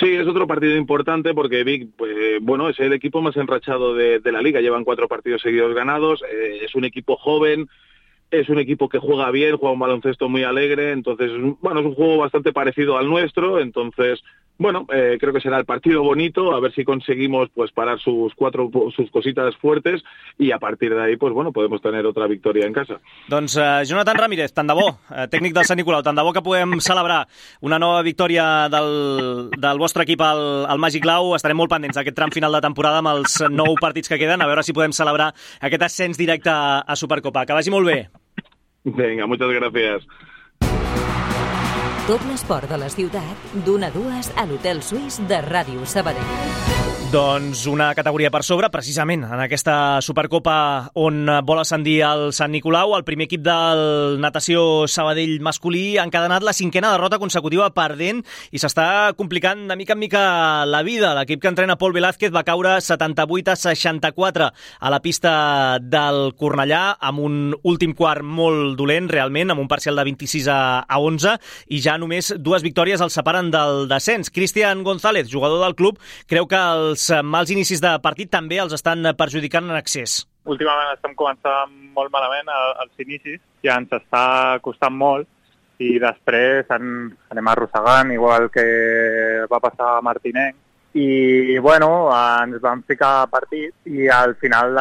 Sí, es otro partido importante porque Vic, es el equipo más enrachado de la liga, llevan 4 partidos seguidos ganados, es un equipo joven, es un equipo que juega bien, juega un baloncesto muy alegre, entonces, es un juego bastante parecido al nuestro, entonces, creo que será el partido bonito, a ver si conseguimos parar sus cositas fuertes y a partir de ahí, podemos tener otra victoria en casa. Doncs Jonathan Ramírez, tant de bo, tècnic del Sant Nicolau, tant de bo que podem celebrar una nova victòria del vostre equip al Màgic Lau. Estarem molt pendents d'aquest tram final de temporada amb els 9 partits que queden, a veure si podem celebrar aquest ascens directe a Supercopa. Que vagi molt bé. Venga, muchas gracias. Tot l'esport de la ciutat, d'1 a 2 a l'Hotel Suís de Ràdio Sabadell. Doncs una categoria per sobre, precisament, en aquesta Supercopa on vol ascendir el Sant Nicolau. El primer equip del natació Sabadell masculí ha encadenat la 5a derrota consecutiva perdent i s'està complicant de mica en mica la vida. L'equip que entrena Pol Velázquez va caure 78-64 a la pista del Cornellà amb un últim quart molt dolent, realment, amb un parcial de 26-11 i ja només 2 victòries el separen del descens. Cristian González, jugador del club, creu que els mals inicis de partit també els estan perjudicant en excés. Últimament estem començant molt malament els inicis, ja ens està costant molt i després anem arrossegant, igual que va passar a Martinenc. I, bueno, ens vam ficar a partit i al final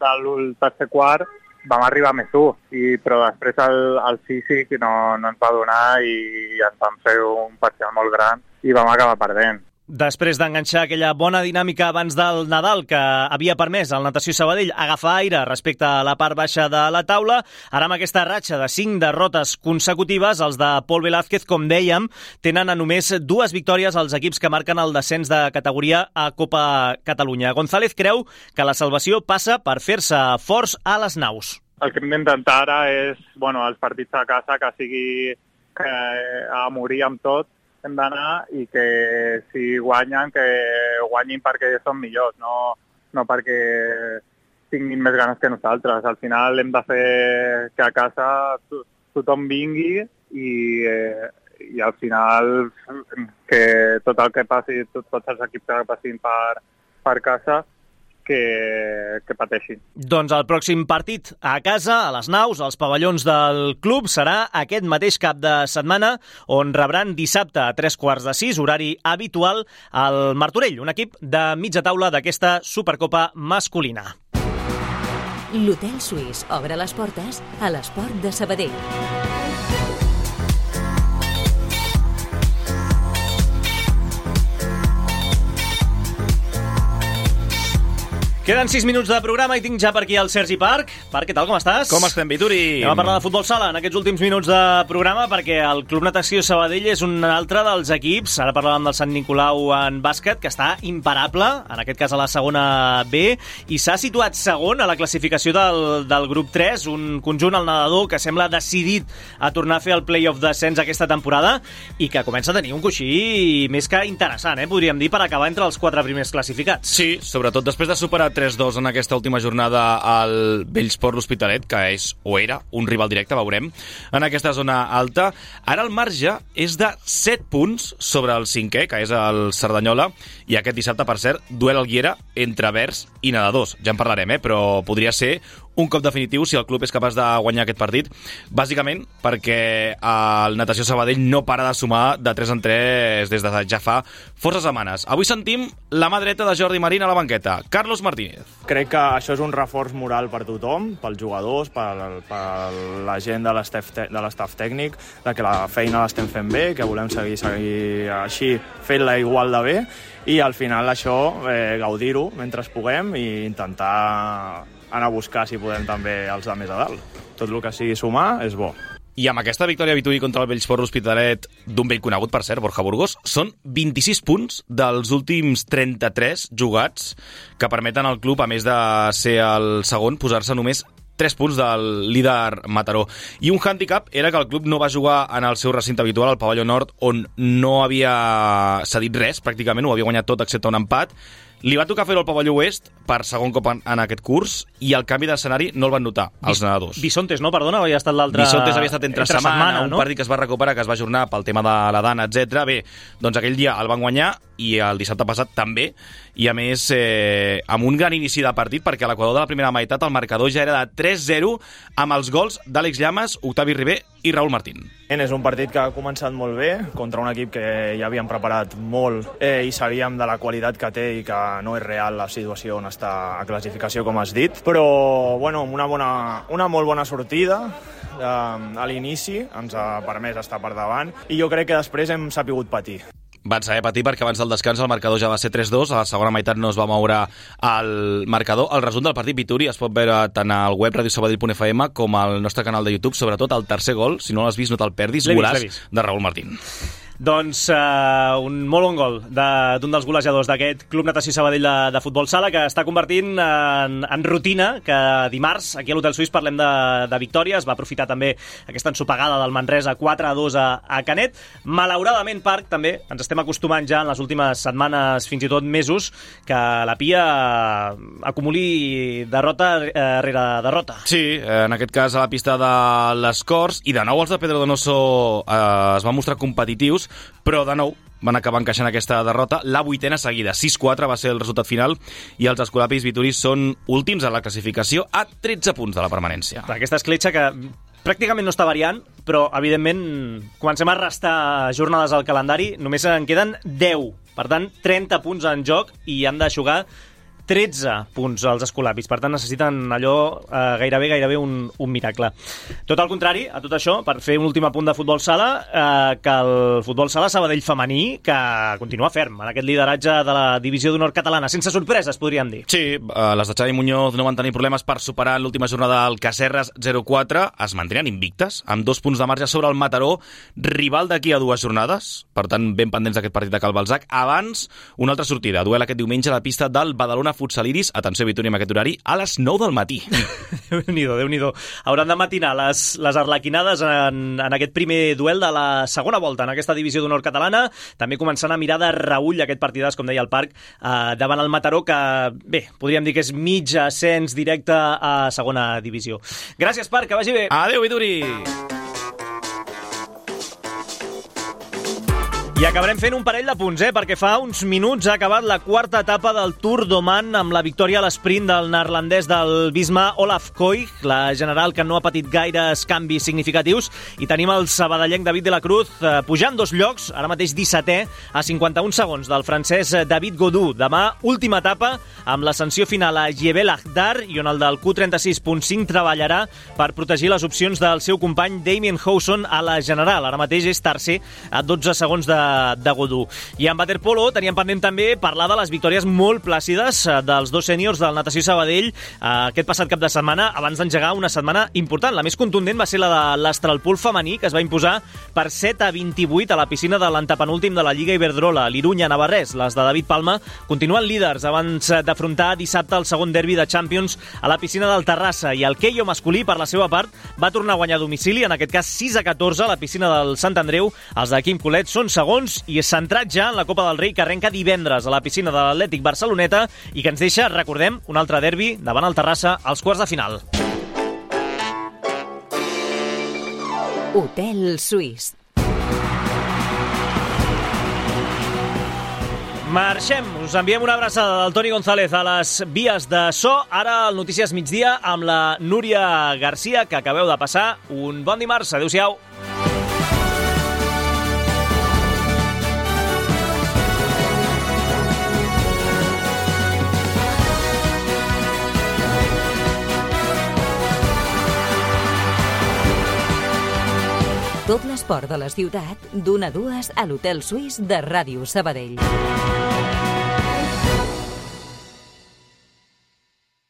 del tercer quart vam arribar més 1, però després el físic no ens va donar i ens vam fer un parcial molt gran i vam acabar perdent. Després d'enganxar aquella bona dinàmica abans del Nadal que havia permès al Natació Sabadell agafar aire respecte a la part baixa de la taula, ara amb aquesta ratxa de 5 derrotes consecutives, els de Pol Velázquez, com dèiem, tenen a només 2 victòries als equips que marquen el descens de categoria a Copa Catalunya. González creu que la salvació passa per fer-se forts a les naus. El que hem d'intentar ara és, els partits a casa, que sigui a morir amb tot, hem d'anar i que si guanyen, que guanyin perquè són millors, no perquè tinguin més ganes que nosaltres. Al final hem de fer que a casa tothom vingui i al final que tot el que passi, tots els equips que passin per casa, que pateixin. Doncs el pròxim partit a casa, a les naus, als pavellons del club, serà aquest mateix cap de setmana, on rebran dissabte a 5:45, horari habitual, al Martorell, un equip de mitja taula d'aquesta Supercopa masculina. L'Hotel Suís obre les portes a l'esport de Sabadell. Queden 6 minuts de programa i tinc ja per aquí el Sergi Parc. Parc, què tal, com estàs? Com estem, Vituri? Anem a parlar de futbol sala en aquests últims minuts de programa perquè el Club Natació Sabadell és un altre dels equips, ara parlàvem del Sant Nicolau en bàsquet, que està imparable, en aquest cas a la segona B, i s'ha situat segon a la classificació del grup 3, un conjunt, el nedador, que sembla decidit a tornar a fer el play-off d'ascens aquesta temporada i que comença a tenir un coixí més que interessant, podríem dir, per acabar entre els 4 primers classificats. Sí, sobretot després de superar 3-2 en aquesta última jornada al Bellsport l'Hospitalet, que és o era un rival directe, veurem, en aquesta zona alta. Ara el marge és de 7 punts sobre el 5è, que és el Cerdanyola, i aquest dissabte, per cert, duel al Guiera entre verds i nedadors. Ja en parlarem, però podria ser un cop definitiu si el club és capaç de guanyar aquest partit, bàsicament perquè el Natació Sabadell no para de sumar de 3 en 3 des de ja fa força setmanes. Avui sentim la mà dreta de Jordi Marín a la banqueta, Carlos Martínez. Crec que això és un reforç moral per tothom, pels jugadors, per la gent de l'estaf tècnic, de que la feina l'estem fent bé, que volem seguir així fent-la igual de bé, i al final això, gaudir-ho mentre puguem i intentar anar a buscar, si podem, també els de més a dalt. Tot el que sigui sumar és bo. I amb aquesta victòria Vituri contra el Bellsport l'Hospitalet d'un vell conegut, per cert, Borja Burgos, són 26 punts dels últims 33 jugats que permeten al club, a més de ser el segon, posar-se només 3 punts del líder Mataró. I un hàndicap era que el club no va jugar en el seu recinte habitual, al pavelló nord, on no havia cedit res, pràcticament, ho havia guanyat tot excepte un empat. Li va tocar fer-ho al pavelló oest per segon cop en aquest curs i el canvi d'escenari no el van notar els nedadors. Bisontes, no? Perdona, havia estat l'altre... Bisontes havia estat entre setmana, no? Un partit que es va recuperar, que es va ajornar pel tema de la dana, etc. Bé, doncs aquell dia el van guanyar i el dissabte passat també, i a més amb un gran inici de partit, perquè a l'equador de la primera meitat el marcador ja era de 3-0 amb els gols d'Àlex Llamas, Octavi Ribé i Raúl Martín. És un partit que ha començat molt bé contra un equip que ja havíem preparat molt i sabíem de la qualitat que té i que no és real la situació on està a classificació, com has dit, però bueno, amb una molt bona sortida a l'inici ens ha permès estar per davant i jo crec que després hem sapigut patir. Van saber patir perquè abans del descans el marcador ja va ser 3-2, a la segona meitat no es va moure el marcador. El resum del partit Vituri es pot veure tant al web radiosabadell.fm com al nostre canal de YouTube, sobretot el tercer gol, si no l'has vist no te'l perdis, golaç de Raúl Martín. Doncs un molt bon gol d'un dels golejadors d'aquest Club Natació Sabadell de futbol sala, que està convertint en rutina que dimarts aquí a l'Hotel Suís parlem de victòries. Va aprofitar també aquesta ensopegada del Manresa 4-2 a Canet. Malauradament, Parc, també ens estem acostumant ja en les últimes setmanes, fins i tot mesos, que la Pia acumuli derrota rere derrota. Sí, en aquest cas a la pista de les Corts, i de nou els de Pedro Donoso es van mostrar competitius, però de nou van acabar encaixant aquesta derrota, la 8a seguida. 6-4 va ser el resultat final i els escolapis Vituri són últims a la classificació a 13 punts de la permanència. Aquesta escletxa que Pràcticament no està variant, però, evidentment, comencem a restar jornades al calendari. Només en queden 10. Per tant, 30 punts en joc i han de jugar 13 punts als escolapis. Per tant, necessiten allò gairebé un miracle. Tot al contrari, a tot això, per fer un últim apunt de futbol sala, que el futbol sala Sabadell femení, que continua ferm en aquest lideratge de la divisió d'honor catalana. Sense sorpreses, podríem dir. Sí, les de Xavi Muñoz no van tenir problemes per superar l'última jornada al Cacerres 0-4. Es mantenen invictes, amb 2 punts de marge sobre el Mataró, rival d'aquí a 2 jornades. Per tant, ben pendents d'aquest partit de Cal Balzac. Abans, una altra sortida. Duel aquest diumenge a la pista del Badalona Futsaliris. Atenció, Vitòria, amb aquest horari, a les 9 del matí. Déu-n'hi-do. Hauran de matinar les arlequinades en aquest primer duel de la segona volta en aquesta divisió d'honor catalana. També començant a mirar de reull aquest partidàs, com deia el Parc, davant el Mataró, que, bé, podríem dir que és mig ascens directe a segona divisió. Gràcies, Parc, que vagi bé. Adéu, Vituri. I acabarem fent un parell de punts, perquè fa uns minuts ha acabat la quarta etapa del Tour d'Oman amb la victòria a l'esprint del neerlandès del Visma Olaf Koig, la general que no ha patit gaires canvis significatius, i tenim el sabadellenc David de la Cruz pujant 2 llocs, ara mateix 17è, a 51 segons del francès David Gaudu. Demà, última etapa, amb l'ascensió final a Jebel Akhdar, i on el del Q36.5 treballarà per protegir les opcions del seu company Damien Howson a la general. Ara mateix és tercer a 12 segons de Godú. I en waterpolo teníem pendent també parlar de les victòries molt plàcides dels 2 sèniors del Natació Sabadell aquest passat cap de setmana, abans d'engegar una setmana important. La més contundent va ser la de l'Astralpool femení, que es va imposar per 7-28 a la piscina de l'antepenúltim de la Lliga Iberdrola, l'Irunya-Navarrés. Les de David Palma continuen líders abans d'afrontar dissabte el segon derbi de Champions a la piscina del Terrassa, i el Keio masculí, per la seva part, va tornar a guanyar a domicili, en aquest cas 6-14 a la piscina del Sant Andreu. Els de Quim Colet són segons i és centrat ja en la Copa del Rei, que arrenca divendres a la piscina de l'Atlètic Barceloneta i que ens deixa, recordem, un altre derbi davant el Terrassa als quarts de final. Hotel Suís. Marxem, us enviem una abraçada del Toni González a les vies de so. Ara el Notícies Migdia amb la Núria Garcia, que acabeu de passar un bon dimarts. Adéu-siau. Tot l'esport de la ciutat, d'1 a 2 a l'Hotel Suís de Ràdio Sabadell.